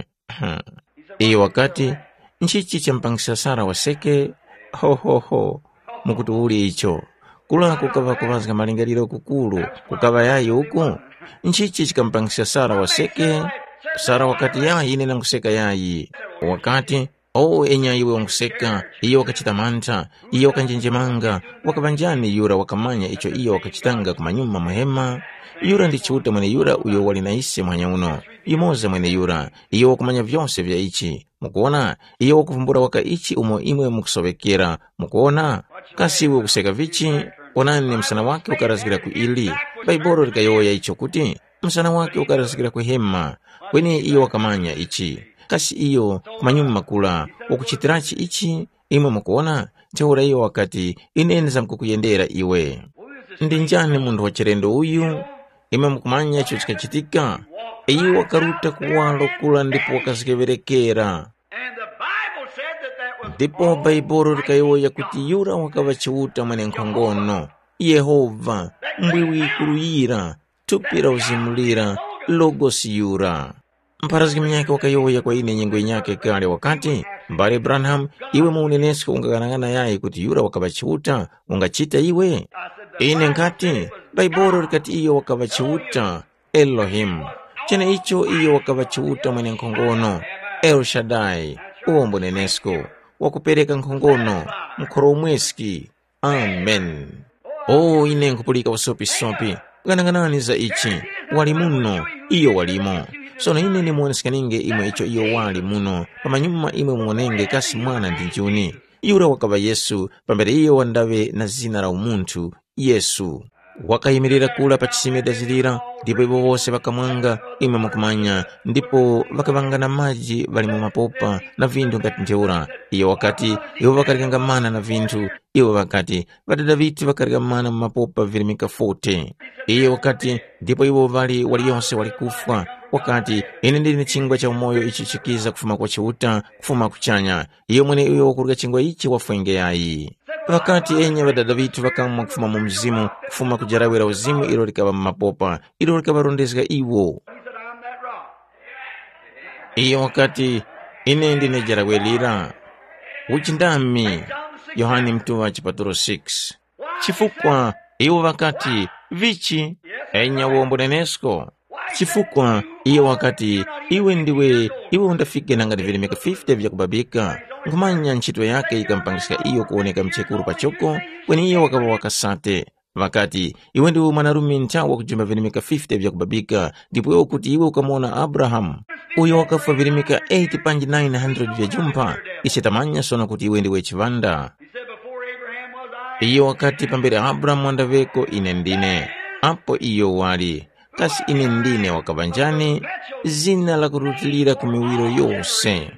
iyo wakati, nchichi champangisa Sara waseke? Hohoho, mukuti uli icho? Kula kukaŵa kuŵazga malingaliro kukuru, kukaŵa yayi uku? Nchichi chikamupangisa Sara waseke? Sara wakati, yayi, ine nanguseka yayi. Wakati, o enya iwe wanguseka, iyo wakachita mantha, iyo wakanjenjemanga, wakaŵa njani yura wakamanya icho iyo wakachitanga kumanyuma muhema? Yura ndi Chiuta mweneyura uyo wali na ise muhanya uno, yumoza mweneyura, iyo wakumanya vyose vya ichi. Mukuwona, iyo wakuvumbula waka ichi umo imwe mukusoŵekera. Mukuwona, kasi iwe ukuseka vichi? Onani, msana wake ukarazgira ku ili. Bhaibuli likayowoya icho kuti, msana wake ukarazgira ku hema. Kweni iyo wakamanya ichi. Kasi iyo kumanyuma kula wakuchitirachi ichi? Imwe mukuwona, ntheura iyo wakati, ine ndizamkukuyendera iwe. Ndi njani munthu wa chilendo uyu? Imwe mukumanya icho chikachitika? Iye wakaruta kuwaro kula ndipo wakazgeŵerekera. And the Bible said that that was Ndipo Bhaibuli likayowoya kuti yura wakaŵa Chiuta mwenenkhongono, Yehova, mbwiwi yikuruyira, thupi la uzimu lira, Logosi yura. Mpharazgi munyakhe wakayowoya kwa ine nyengo yinyakhe kale wakati, mbale Branham, iwe mu unenesko ungaghanag'ana yayi kuti yura wakaŵa Chiuta, ungachita iwe? Ine nkhati, Bhaibuli likati iyo wakaŵa Chiuta, Elohimu. Cheneicho iyo wakaŵa Chiuta mwenenkhongono, El Shaddai, uwo mbunenesko, wakupereka nkhongono, mkhoromweski. Amen. O ine nkhupulika usopisopi. Ghanaghanani za ichi. Wali muno, iyo walimo. Sono ine ndimuwoneskeninge imwe icho iyo wali muno, pamanyuma imwe muwonenge kasi mwana ndi njuni. Yura wakaŵa Yesu, pambere iyo wandaŵe na zina la umunthu, Yesu. Wakayimirira kura pa chisime dazilira, ndipo iwo wose ŵakamwanga, imwe mukumanya, ndipo ŵakaŵanga na maji ŵali mu mapopa na vinthu ngati ntheura. Iyo wakati, iwo ŵakaryanga mana na vinthu, iwo ŵakati, ŵadada ŵithu ŵakarya mana mu mapopa virimika forty. Iyo wakati, ndipo iwo ŵali waliyose wali kufwa, Wakati, “Ine ndili ni chingwa cha umoyo ichi chikiza kufuma kwa Chiuta, kufuma kuchanya. Iyo mweneuyo wakurya chingwa ichi wafwa ingeyayi.” Ŵakati, “Enya ŵadada ŵithu ŵakamwa kufuma mu mzimu, kufuma ku jarawe la uzimu ilo likaŵa mu mapopa, ilo likaŵarondezga iwo.” He said, "I'm that rock." Iyo wakati, “Ine ndine jarawe lira.” Uchindami, Yohane Mtuŵa chipatulo six. Chifukwa iwo ŵakati, “Vichi?” Enya wombo nenesko. Chifukwa iyo wakati, “Iwe ndiwe, iwe undafike nanga ndi virimika fifty vyakubabika.” Nkhumanya ntchito yake yikamupangiska iyo kuwoneka mchekuru pachoko, kweni iyo wakaŵa wakasate. Ŵakati, “Iwe ndiwe mwanarume nthawi wakujumba virimika fifty vyakubabika, ndipo iwe ukuti iwe ukamuwona Abrahamu, uyo wakafwa virimika eight panji nine hundred vya jumpha, ise tamanya sono kuti iwe ndiwe chiŵanda.” He said, "Before Abraham was I." Iyo wakati, “Pambere Abrahamu wandaŵeko ine ndine.” Apo iyo wali, kasi ine ndine wakaŵa njani? Zina lakurutilira ku miwiro yose.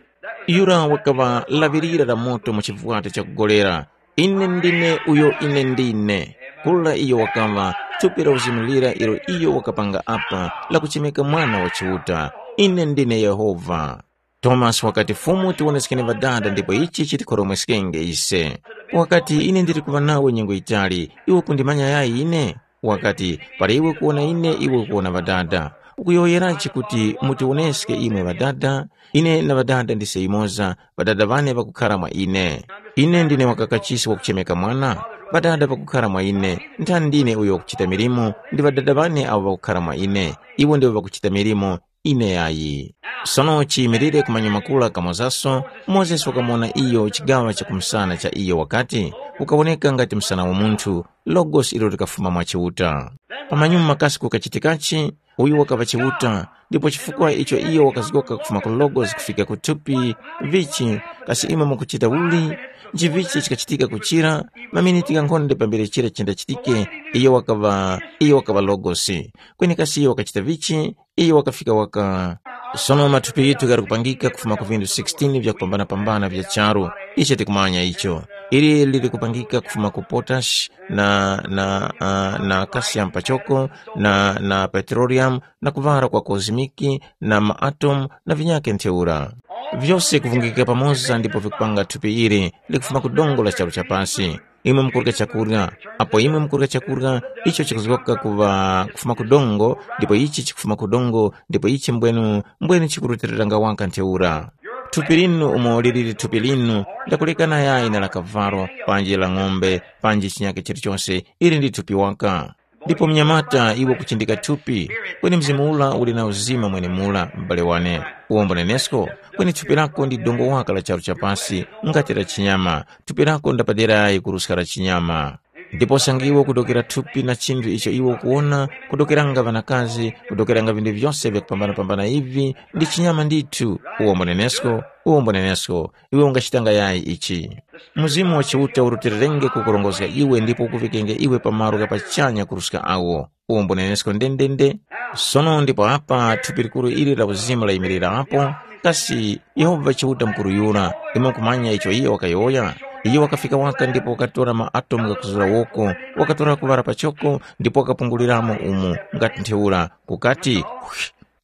Yura wakaŵa laŵirira la moto mu chivwati chakugolera. Ine ndine uyo ine ndine. Kula iyo wakaŵa thupi la uzimu lira ilo iyo wakapanga apa, lakuchemeka Mwana wa Chiuta. Ine ndine Yehova. Tomasi wakati, “Fumu, tiwoneskeni Ŵadada ndipo ichi chitikhoromweskenge ise.” Wakati, “Ine ndili kuŵa nawe nyengo yitali, iwe kundimanya yayi ine?” Wakati, “Para iwe kuwona ine, iwe ukuwona Ŵadada. Ukuyowoyerachi kuti mutiwoneske imwe Ŵadada? Ine na Ŵadada ndise yumoza, Ŵadada ŵane ŵakukhara mwa ine. Ine ndine wakakachisi wakuchemeka Mwana, Ŵadada ŵakukhara mwa ine, nthani ndine uyo wakuchita milimo, ndi Ŵadada ŵane awo ŵakukhara mwa ine, iwo ndiwo ŵakuchita milimo, ine yayi.” Sono chiyimilire ku manyuma kura kamozaso, Mozesi wakamuwona iyo chigaŵa cha kumsana cha iyo wakati, kukawoneka ngati msana wa munthu, Logos ilo likafuma mwa Chiuta. Pamanyuma kasi kukachitikachi? Uyu wakaŵa Chiuta, ndipo chifukwa icho iyo wakazgoka kufuma ku Logos kufika ku thupi, vichi, kasi imwe mukuchita uli? Nchivichi chikachitika kuchira? Maminiti ghankhonde pambere chira chindachitike, iyo wakaŵa, iyo wakaŵa Logos. Kweni kasi iyo wakachita vichi? Iyo wakafika waka. Sono mathupi ghithu ghali kupangika kufuma ku vindu sixteen vyakupambana-pambana vya charu, icho tikumanya icho. Ili lili kupangika kufuma ku potash na, na, uh, na calcium pachoko na, na petroleum na kuŵala kwa cosmic na maatomu na vinyakhe ntheura. Vyose kuvungikika pamoza ndipo vikupanga thupi ili likufuma ku dongo la charu cha pasi. Imwe mukurya chakurya, apo imwe mukurya chakurya icho chikuzgoka kuŵa kufuma ku dongo, ndipo ichi chikufuma ku dongo, ndipo ichi mbwenu, mbwenu chikurutiliranga waka ntheura. Thupi linu umo liliri thupi linu, ndakulekana yayi na la kavalo, panji la ng'ombe, panji chinyakhe chilichose, ili ndi thupi waka. Ndipo mnyamata iwe kuchindika thupi, kweni mzimu ula uli na uzima mwenemula, m'bale wane. Uwombo nenesko, kweni thupi lako ndi dongo waka la charu cha pasi, ngati la chinyama, thupi lako ndapaderayi kuruska la chinyama. Ndipo sangiwe kudokera thupi na chinthu icho iwe ukuwona, kudokeranga ŵanakazi, kudokeranga vinthu vyose vyakupambana-pambana ivi, ndi chinyama ndithu. Uwombo nenesko, uwombo nenesko, iwe ungachitanga yayi ichi. Mzimu wa Chiuta urutilirenge kukurongozga iwe ndipo ukuvikenge iwe pa malo gha pachanya kuruska awo. Uwombo nenesko ndendende. Sono ndipo apa thupi likuru ili la uzimu layimirirapo, kasi Yehova Chiuta mukuru yura, imwe mukumanya icho iyo wakayowoya? Iyo wakafika waka ndipo wakatora ma atomu ghakuzura woko, wakatora kuŵala pachoko ndipo wakapunguliramo umu ngati ntheura, kukati,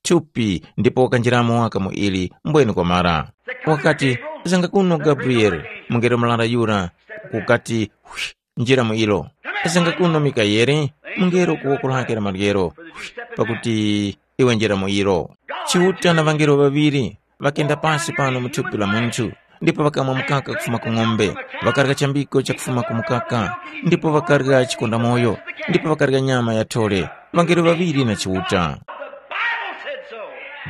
thupi, ndipo wakanjiramo waka mu ili, mbwenu kwamara. Wakati, zanga kuno Gabriele, mungelo murara yura, kukati, njira mu ilo. Zanga kuno Mikayeli, mungelo ku woko lake la maryero, pakuti iwe njira mu ilo. Chiuta na ŵangelo ŵaŵiri ŵakenda pasi pano mu thupi la munthu, ndipo ŵakamwa mukaka kufuma ku ng'ombe, ŵakarya chambiko chakufuma ku mukaka, ndipo ŵakarya chikondamoyo, ndipo ŵakarya nyama ya thole, ŵangelo ŵaŵiri na Chiuta. The Bible said so.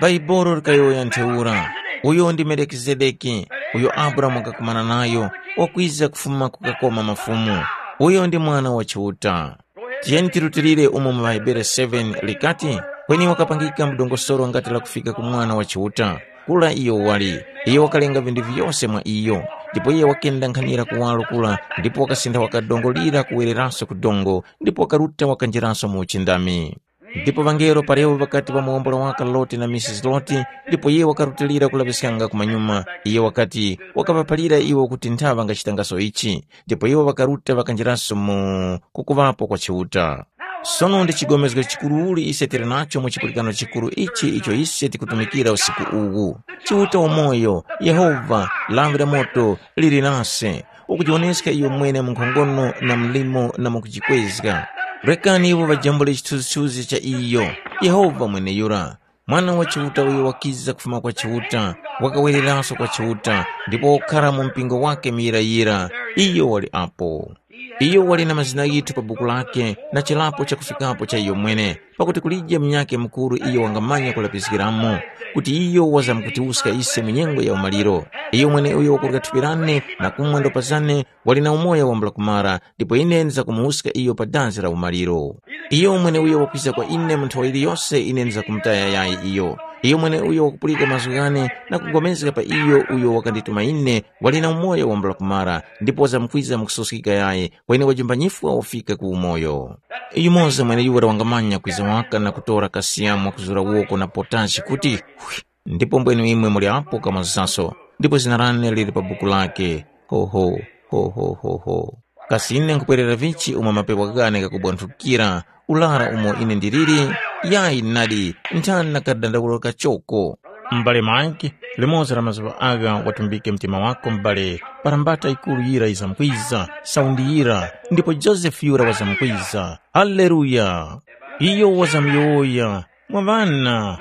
Bhaibuli likayowoya ntheura, uyo ndi Melikizedeki, uyo Abrahamu wakakumana nayo, wakwiza kufuma kukakoma mafumu. Uyo ndi Mwana wa Chiuta. Tiyeni tirutilire umo mu Ŵahebere seven likati, kweni wakapangika mu dongosolo ngati lakufika ku Mwana wa Chiuta. Kura iyo wali, iyo wakalenga vinthu vyose mwa iyo, ndipo iye wakenda nkhanira kuwaro kura, ndipo wakasintha waka dongo lira kuwereraso ku dongo, ndipo wakaruta wakanjiraso mu uchindami. Ndipo ŵangelo parewo ŵakati ŵamuwombola waka Loti na Misisi Loti, ndipo iye wakarutilira kulaŵiskanga kumanyuma. Iye wakati, wakaŵaphalira iwo kuti ntha ŵangachitangaso ichi. Ndipo iwo ŵakaruta ŵakanjiraso mu kukuŵapo kwa Chiuta. Sono ndi chigomezgo chikuruli ise tili nacho mu chipulikano chikuru ichi icho ise tikutumikira usiku uwu. Chiuta wamoyo, Yehova, lawi la moto, lili nase, ukujiwoneska iyo mwene mu nkhongono na mlimo na mukujikwezga. Rekani iwo ŵajambule chithunzithunzi cha iyo, Yehova mweneyura, Mwana wa Chiuta uyo wakiza kufuma kwa Chiuta, wakawereranso kwa Chiuta, ndipo wakukhara mu mpingo wake muyirayira, iyo wali apo. Iyo wali na mazina ghithu pa buku lake na chilapo chakufikapo cha iyo mwene, pakuti kulije munyakhe mukuru iyo wangamanya kulapiskiramo, kuti iyo wazamkutiwuska ise mu nyengo ya umaliro. Iyo mweneuyo wakurya thupi lane na kumwa ndopa zane wali na umoyo wambula kumara, ndipo ine ndizakumuwuska iyo pa danzi la umaliro. Iyo mweneuyo wakwiza kwa ine mu nthawi yiliyose ine ndizakumutaya yayi iyo. Iyo mweneuyo wakupulika mazgu ghane na kugomezga pa iyo uyo wakandituma ine wali na umoyo wambula kumara, ndipo wazamkwiza mu kusoskika yayi, kweni wajumba nyifwa wafika ku umoyo. Yumoza mweneyura wangamanya kwiza waka na kutora kasiyamu wakuzura woko na potashi kuti, hwi, ndipo mbwenu imwe muli apo kamwazaso, ndipo zina lane lili pa buku lake. Hoho, hoho, hoho. Kasi ine nkupwerera vichi umo mapepo ghane ghakubwanthukira, ulara umo ine ndiliri? Yayi nadi, nthani na kadandaulo kachoko. M'bale Mike, limodzi la mazuŵa agha watumbike mtima wako m'bale, para mbata yikuru yira yizamkwiza, saundi yira, ndipo Josefe yura wazamkwiza. Haleluya! Iyo wazamyowoya, mwa ŵana.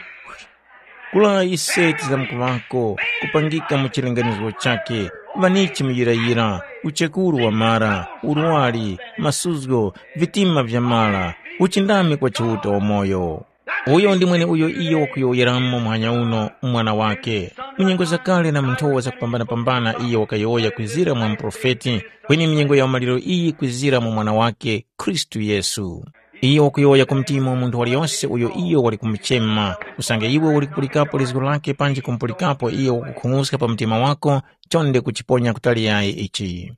Kula ise tizamkuŵako, kupangika mu chilinganizgo chakhe, ŵanichi muyirayira, uchekuru wa mara, urwari, masuzgo, vitima vya mara, uchindami kwa Chiuta wamoyo. Uyo ndi mweneuyo iyo wakuyowoyeramo muhanya uno mu Mwana wakhe. Mu nyengo zakale na mu nthowa zakupambana-pambana iyo wakayowoya kwizira mwa muprofeti, kweni mu nyengo ya umaliro iyi kwizira mu Mwana wakhe, Khristu Yesu. Iyo wakuyowoya ku mtima wa munthu waliyose uyo iyo wali kumuchema, usange iwe uli kupulikapo lizgu lakhe panji kumupulikapo iyo wakukhung'uska pa mtima wako, chonde kuchiponya kutali yayi ichi.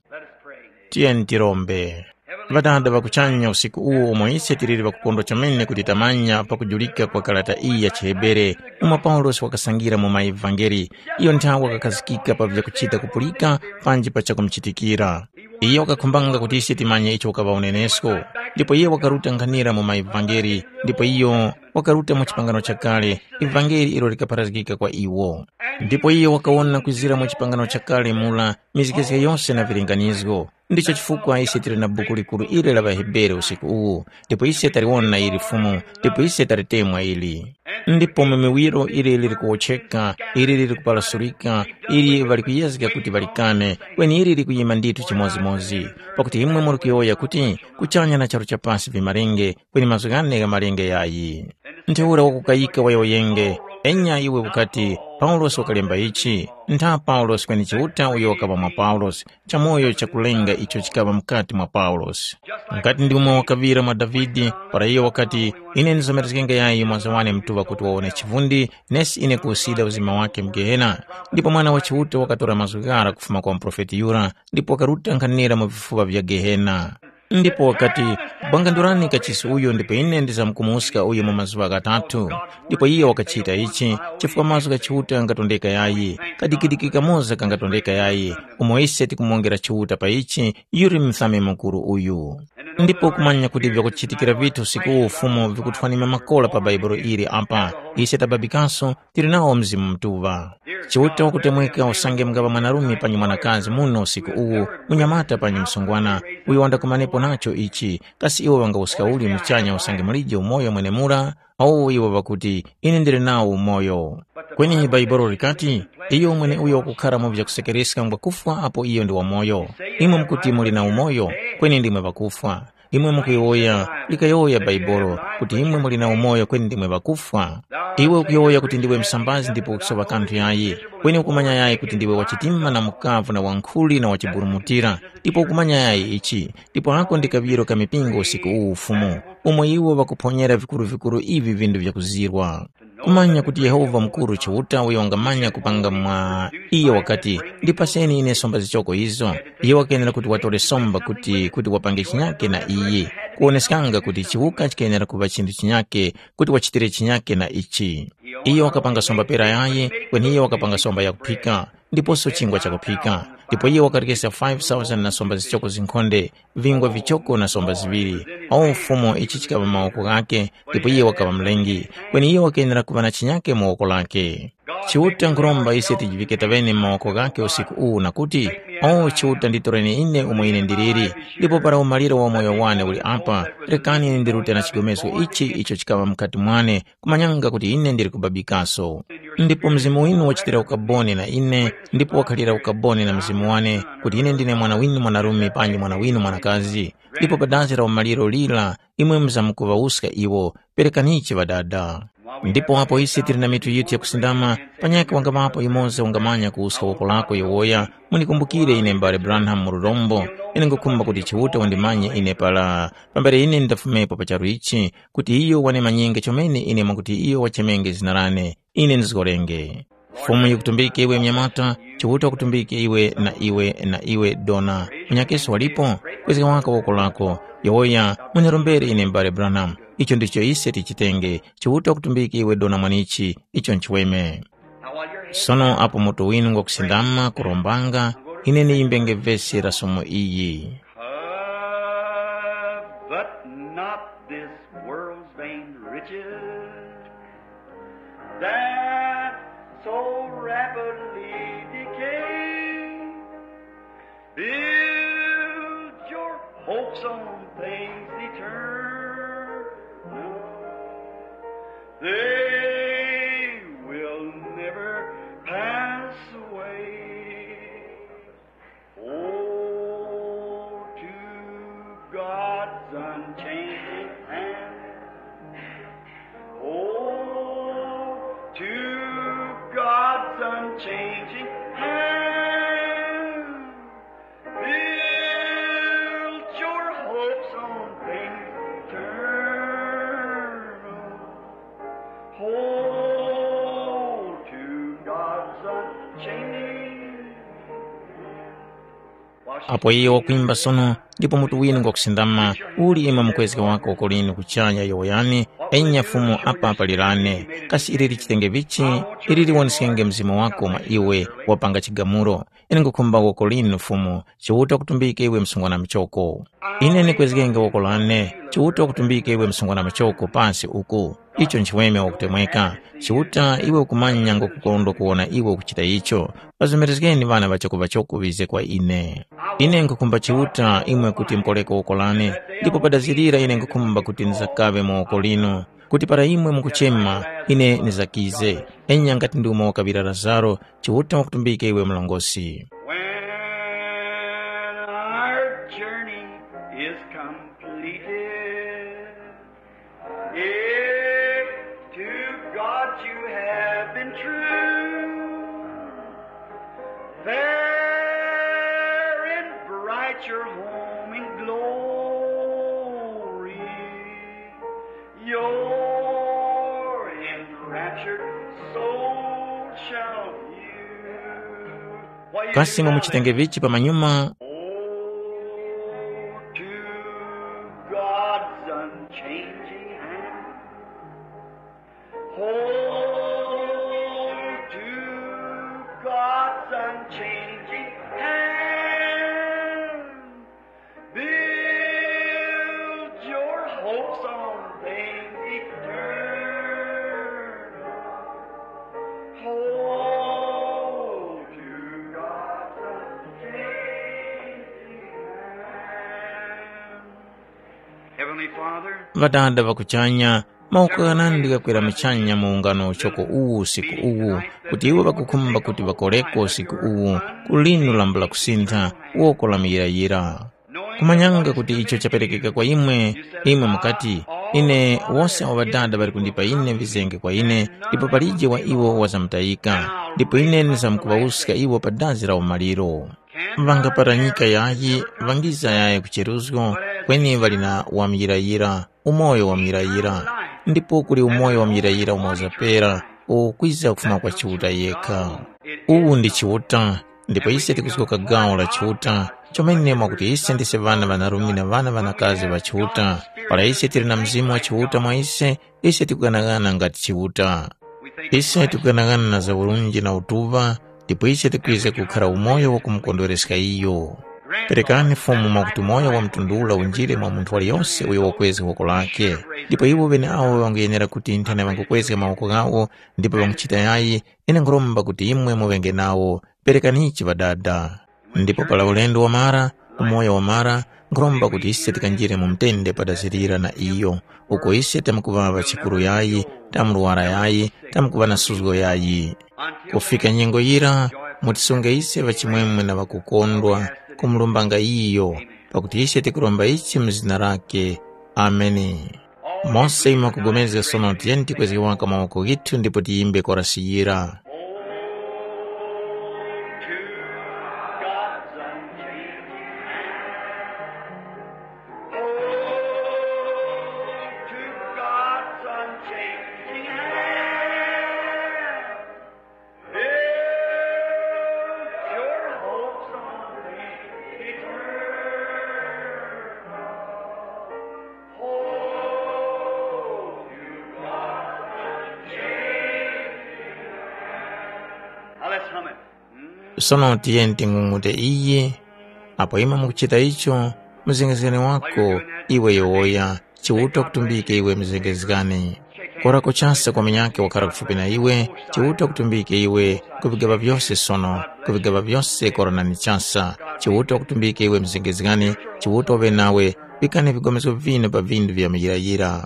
Tiyeni tirombe. Ŵadada ŵa kuchanya, usiku uwu umo ise tiliri ŵakukondwa chomene kuti tamanya pakujulika kwa karata iyi ya chiHebere, umo Paulosi wakasangira mu maevangeli, iyo nthawe wakakhazikika pa vyakuchita kupulika panji pa chakumuchitikira. Iyo wakakhumbanga kuti ise timanye icho wakaŵa unenesko, ndipo iyo wakaruta nkhanira mu maevangeli, ndipo iyo wakaruta mu chipangano chakale, ivangeli ilo likapharazgika kwa iwo. Ndipo iyo wakawona kwizira mu chipangano chakale mura mizgezge yose na vilinganizgo. Ndicho chifukwa ise tili na buku likuru ili la ŵaHebere usiku uwu, ndipo ise taliwona ili Fumu, ndipo ise talitemwa ili. Ndipo mu miwiro ili lili kuwotcheka, ili lili kuparasulika, ili ŵali kuyezga kuti ŵalikane, kweni ili likuyima ndithu chimodzimodzi. Pakuti imwe muli kuyowoya kuti, kuchanya na charu cha pasi vimalenge, kweni mazgu ghane gha malenge yayi. Ntheura wakukayika wayowoyenge, enya iwe ukati, Paulosi wakalemba ichi, ntha Paulosi kweni Chiuta uyo wakaŵa mwa Paulosi, chamoyo chakulenga icho chikaŵa mukati mwa Paulosi. Ngati ndi umo wakaŵira mwa Davide, para iyo wakati, ine ndizomerezgenge yayi mwaza wane mtuŵa kuti wawone chivundi, nesi ine kuwusida uzima wakhe mu Gehena. Ndipo Mwana wa Chiuta wakatora mazgu ghara kufuma kwa muprofeti yura, ndipo wakaruta nkhanira mu vifuŵa vya Gehena. Ndipo wakati, bwangandurani kachisi uyu ndipo ine ndizamkumuska uyu mu mazuŵa ghatatu. Ndipo iyo wakachita ichi, chifukwa mazgu gha Chiuta ghatondeka yayi, kadikidiki kamoza kangatondeka yayi, umo ise tikumongera Chiuta pa ichi, yuli Mthami Mukuru uyu. Ndipo kumanya kuti vyakuchitikira vithu usiku uwu Fumu vikuthwanima makora pa Bhaibuli ili apa, ise tababikaso, tili nawo Mzimu Mutuŵa. Chiuta wakutemweka usange mungaŵa mwanarume panyi mwanakazi muno usiku uwu, munyamata panyi msungwana, uyo wandakumanepo nacho ichi, kasi iwo ŵangawuska uli muchanya usange mulije umoyo mwenemura? Awo iwo ŵakuti, ine ndili nawo umoyo. Kweni Bhaibuli likati, iyo mweneuyo wakukhara mu vyakusekereska ngwakufwa apo iyo ndi wamoyo. Imwe mukuti muli na umoyo, kweni ndimwe ŵakufwa. Imwe mukuyowoya, likayowoya Bhaibuli, kuti imwe muli na umoyo kweni ndimwe ŵakufwa. Iwe ukuyowoya kuti ndiwe msambazi ndipo ukusopa kanthu yayi, kweni ukumanya yayi kuti ndiwe wachitima na mukavu na wankhuli na wachiburumutira, ndipo ukumanya yayi ichi, ndipo ako ndi kaŵiro ka mipingo usiku uwu Fumu, umo iwo ŵakuphonyera vikuru-vikuru ivi vindu vyakuzirwa. Kumanya kuti Yehova mukuru Chiuta uyo wangamanya kupanga mwa iyo wakati, ndipaseni ine somba zichoko izo. Iyo wakenera kuti watore somba kuti kuti wapange chinyake na iyi, kuwoneskanga kuti chiwuka chikenera kuŵa chinthu chinyake, kuti wachitire chinyake na ichi. Iyo wakapanga somba pera yayi, kweni iyo wakapanga somba yakuphika, ndiposo chingwa chakuphika. Ndipo iye wakarekesa five thousand na somba zichoko zinkhonde, vingwa vichoko na somba ziŵiri. O Fumu, ichi chikaŵa mawoko ghakhe, ndipo iye wakaŵa mlengi. Kweni iye wakenera kuŵa na chinyake mu woko lakhe. Chiuta nkhuromba ise tijivike taŵene mu mawoko ghakhe usiku uwu na kuti, “O Chiuta, nditoreni ine umo ine ndiliri, ndipo para umaliro wa umoyo wane uli apa, rekani ine ndirute na chigomezgo ichi icho chikaŵa mukati mwane, kumanyanga kuti ine ndili kubabikaso.” Ndipo Mzimu winu wachitira ukaboni na ine, ndipo wakhalira ukaboni na mzimu wane, kuti ine ndine mwana winu mwanarume panji mwana winu mwanakazi. Ndipo pa dazi la umaliro lira, imwe muzamkuŵawuska iwo, perekanichi Ŵadada. Ndipo apo ise tili na mitu yithu yakusindama, panyakhe wangaŵapo yumoza wangamanya kuwuska woko lako yowoya, munikumbukire ine m'bale Branham mu lurombo, ine ngukhumba kuti Chiuta wandimanye ine para, pambere ine ndafumepo pa charu ichi, kuti iyo wanimanyenge chomene ine mwakuti iyo wachemenge zina lane, ine ndizgorenge. Fumu yikutumbike iwe mnyamata, Chiuta wakutumbike iwe na iwe na iwe dona. Munyakeso walipo? Kwezga waka woko lako. Yowoya, munyarombere ine m'bale Branham. Icho ndicho ise tichitenge. Chiuta wakutumbike iwe dona mwanichi. Icho nchiweme. Sono apo mutu winu ngwakusindama kurombanga, ine niyimbenge vesi la somo iyi. Covet not this world's vain riches, that so rapidly decay. Build your hopes on things eternal. They will never pass away. Oh, to God's unchanging hand. Oh, to God's unchanging hand. Build your hopes on things eternal. Hold to God's unchanging hand. Apo iyo wakwimba sono, ndipo mutu winu ngwakusindama, uli imwe mukwezga wako woko linu kuchanya yowoyani, enya Fumu apa palirane, kasi ili lichitenge vichi, ili liwoneskenge mzimu wako mwa iwe, wapanga chigamulo. Ine ngukhumba woko linu Fumu, Chiuta wakutumbike iwe msungwana muchoko. Ine ndikwezgenge woko lane, Chiuta wakutumbike iwe msungwana muchoko pasi uku. Icho nchiweme wakutemweka. Chiuta iwe ukumanya ngokukondwa kuwona iwe ukuchita icho. Pazomerezgeni ŵana ŵachoko-ŵachoko ŵize kwa ine. Ine nkhukhumba Chiuta imwe kuti mukoreke woko lane, ndipo padazirira ine nkhukhumba kuti ndizakaŵe mu woko linu, kuti para imwe mukuchema, ine ndizakize. Enya ngati ndi umo wakaŵira Lazaro, Chiuta wakutumbike iwe mlongosi. When our journey is completed, if to God you have been true, fair and bright your home in glory, your enraptured soul shall view. Kasi mwamuchitenge vichi pamanyuma? Oh, to God's unchanging hand. Hold to God's unchanging hand. Build your hopes on things eternal. Hold to God's unchanging hand. Heavenly Father, Ŵadada ŵa kuchanya, mawoko ghanandi ghakwera muchanya mu ungano uchoko uwu usiku uwu, kuti iwo ŵakukhumba kuti ŵakoreko usiku uwu ku linu lambula kusintha, woko la muyirayira. Kumanyanga kuti icho chaperekeka kwa imwe, imwe mukati, “Ine, wose awo Ŵadada ŵali kundipa ine vizenge kwa ine, ndipo palije wa iwo wazamtayika, ndipo ine ndizamkuŵawuska iwo pa dazi la umaliro.” Ŵangaparanyika yayi, ŵangiza yayi ku cheruzgo, kweni ŵali na wamuyirayira, umoyo wamuyirayira. Ndipo kuli umoyo wamuyirayira umo uzapera, uwo ukwiza kufuma kwa Chiuta yekha. Uwu ndi Chiuta, ndipo ise tikuzgoka gawo la Chiuta, chomene mwakuti ise ndise ŵana ŵanarume na ŵana ŵanakazi ŵa Chiuta. Para ise tili na Mzimu wa Chiuta mwa ise, ise tikuganaghana ngati Chiuta. Ise tikuganaghana na za urunji na utuŵa, ndipo ise tikwiza kukhara umoyo wakumukondwereska iyo. Perekani Fumu mwakuti umoyo wa mtundu ula unjire mwa munthu waliyose uyo wakwezga woko lake, ndipo iwo ŵeneawo ŵanguyenera kuti nthena ŵangukwezga mawoko ghawo ndipo ŵanguchita yayi, ine nkhuromba kuti imwe muŵenge nawo. Perekanichi Ŵadada. Ndipo para ulendo wamara, umoyo wamara, nkhuromba kuti ise tikanjire mu mtende padazirira na iyo, uko ise tamkuŵaŵa chikuru yayi, tamurwara yayi, tamkuŵa na suzgo yayi. Kufika nyengo yira, mutisunge ise ŵachimwemwe na ŵakukondwa, kumulumbanga iyo, pakuti ise tikuromba ichi mu zina lakhe. Ameni. Mose imwe mwakupulikana sono tiyeni tikwezge waka mawoko ghithu ndipo tiyimbe korasi yira. Now let's hum it. Sono tiyeni ting'ung'ute iyi. Apo imwe mukuchita icho, muzengezgani wako, iwe yowoya, Chiuta kutumbike iwe muzengezgani. Kora kuchasa kwa munyakhe wakhara kufupi na iwe, Chiuta kutumbike iwe ku vigaba vyose sono, ku vigaba vyose kora na ni chasa. Chiuta kutumbike iwe muzengezgani, Chiuta uŵe nawe, pikani vigomeso vinu pa vindu vya muyirayira.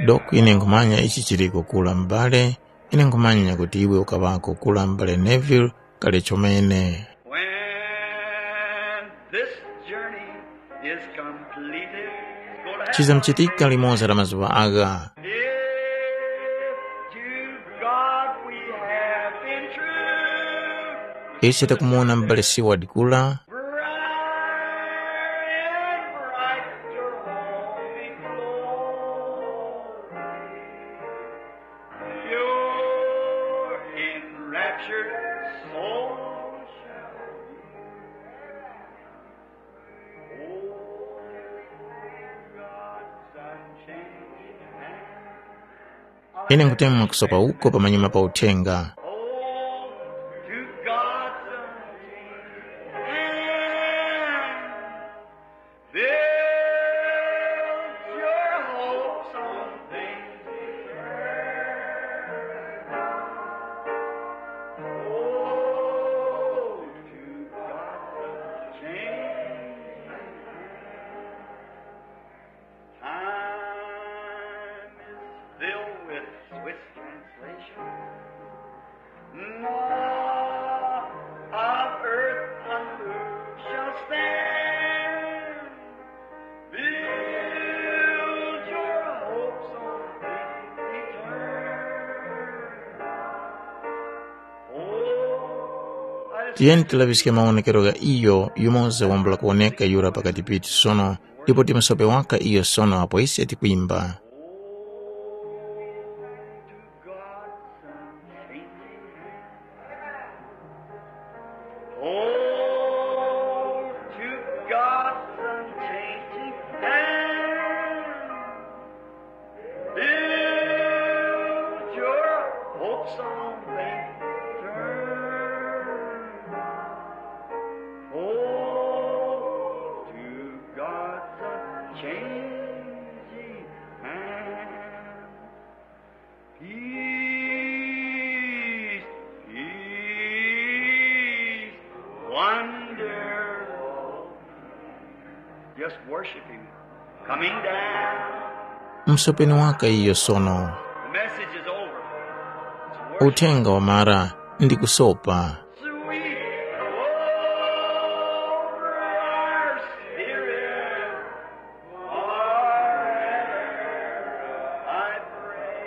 Doko ine nkhumanya ichi chiliko kula m'bale, ine nkhumanya kuti iwe ukaŵako kula m'bale Neville kale chomene. When this journey is completed, it's gonna happen. Chizamchitika limoza la mazuŵa agha. If to God we have been true, ise takumuwona m'bale Seward kula. Bright and bright your holy glory. Your enraptured soul shall be. Oh, God's unchanging hand. Ine nkutemwa kusopa uko pamanyuma pa uthenga. Oh, to God's unchanging hand. Build your hopes on things eternal. Oh, to God's unchanging hand. Time is filled with swift translation. Nought of earth unmoved shall stand. Build your hopes on things eternal. Oh, I Tiyeni tilaŵiske mawonekero gha iyo yumoza wambula kuwoneka yura pakati pithu sono, ndipo timusope waka iyo sono apo ise tikwimba. Oh, to God's unchanging hand, build your hopes on things eternal. Oh, to God's unchanging hand. Peace, peace, wonderful. Just worship him. Coming down. Msopeni waka iyo sono. The message is over. It's worship. Uthenga wamara ndi kusopa. Sweet, over our spirit. Forever I pray,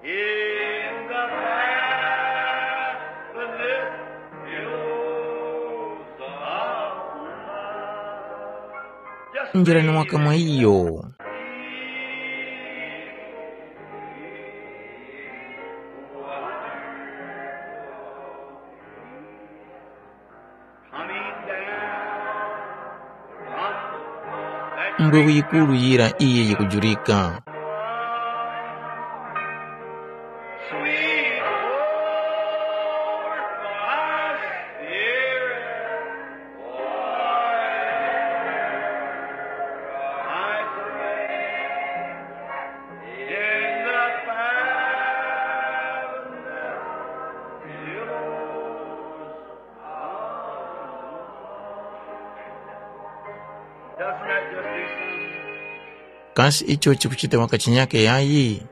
in the matchless billows of love. Just njirani waka mwa iyo. Mbwewu yikuru yira iyi yikujurika. Kasi icho chikuchita waka chinyake yayi?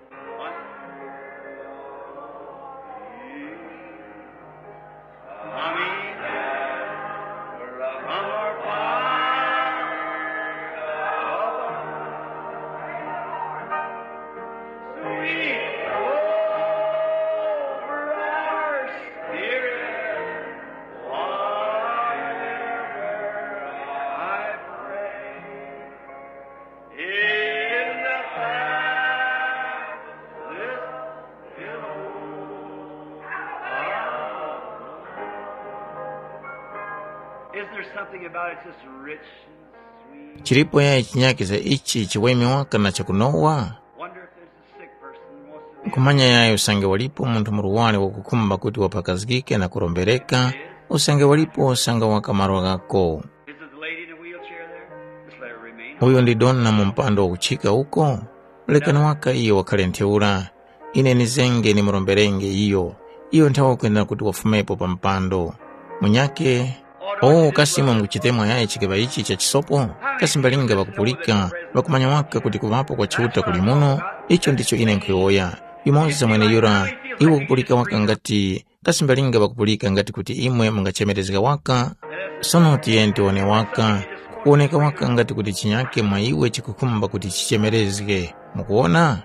Isn't there something about it just rich and sweet? Chilipo yayi chinyakizga ichi chiweme waka na chakunowa? Wonder if there's a sick person who wants to be. Nkhumanya yayi usange walipo munthu murwari wakukhumba kuti waphakazgike na kurombereka, usange walipo usange wakamarwa ghako. Is it the lady in the wheelchair there? Just let her remain. Uyo ndi dona mu mpando wakuchika uko? Lekani waka iyo wakhale ntheura. Ine nizenge nimuromberenge iyo. Iyo nthawe kwenda kuti wafumepo pa mpando. Munyake, o kasi imwe mukuchitemwa yayi chikeŵa ichi cha chisopo? Kasi mbalinga ŵakupulika, ŵakumanya waka kuti kuŵapo kwa Chiuta kuli muno? Icho ndicho ine nkhuyowoya. Yumoza mweneyura, iwe ukupulika waka ngati, kasi mbalinga ŵakupulika ngati kuti imwe mungachemerezga waka? Sono tiyeni tiwone waka, kukuwoneka waka ngati kuti chinyake mwa iwe chikukhumba kuti chichemerezge. Mukuwona?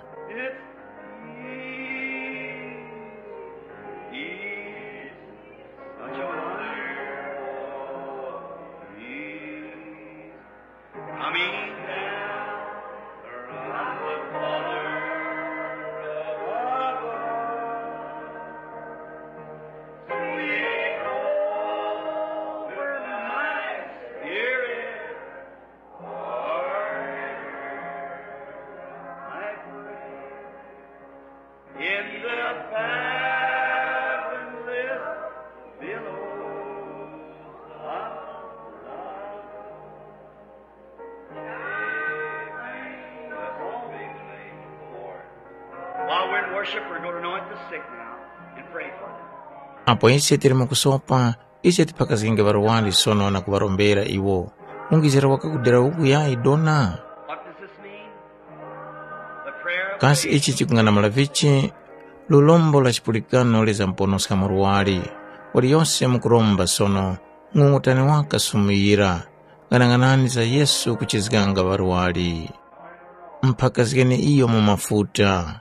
In the fathomless billows of love. Amen. Let's all be saved, Lord. While we're in worship, we're going to anoint the sick now and pray for them. Apo ise tili mu kusopa, ise tiphakazgenge ŵarwari sono na kuŵarombera iwo. Ungizira waka kudera uku yayi dona? What does this mean? The prayer of Kasi faith. Ichi chikung'anamula vichi? Lulombo la chipulikano lizamponoska murwari. Waliyose mukuromba sono, ng'ung'utani waka sumu yira. Ng'anang'anani za Yesu kuchizganga ŵarwari. Mphakazgeni iyo mu mafuta.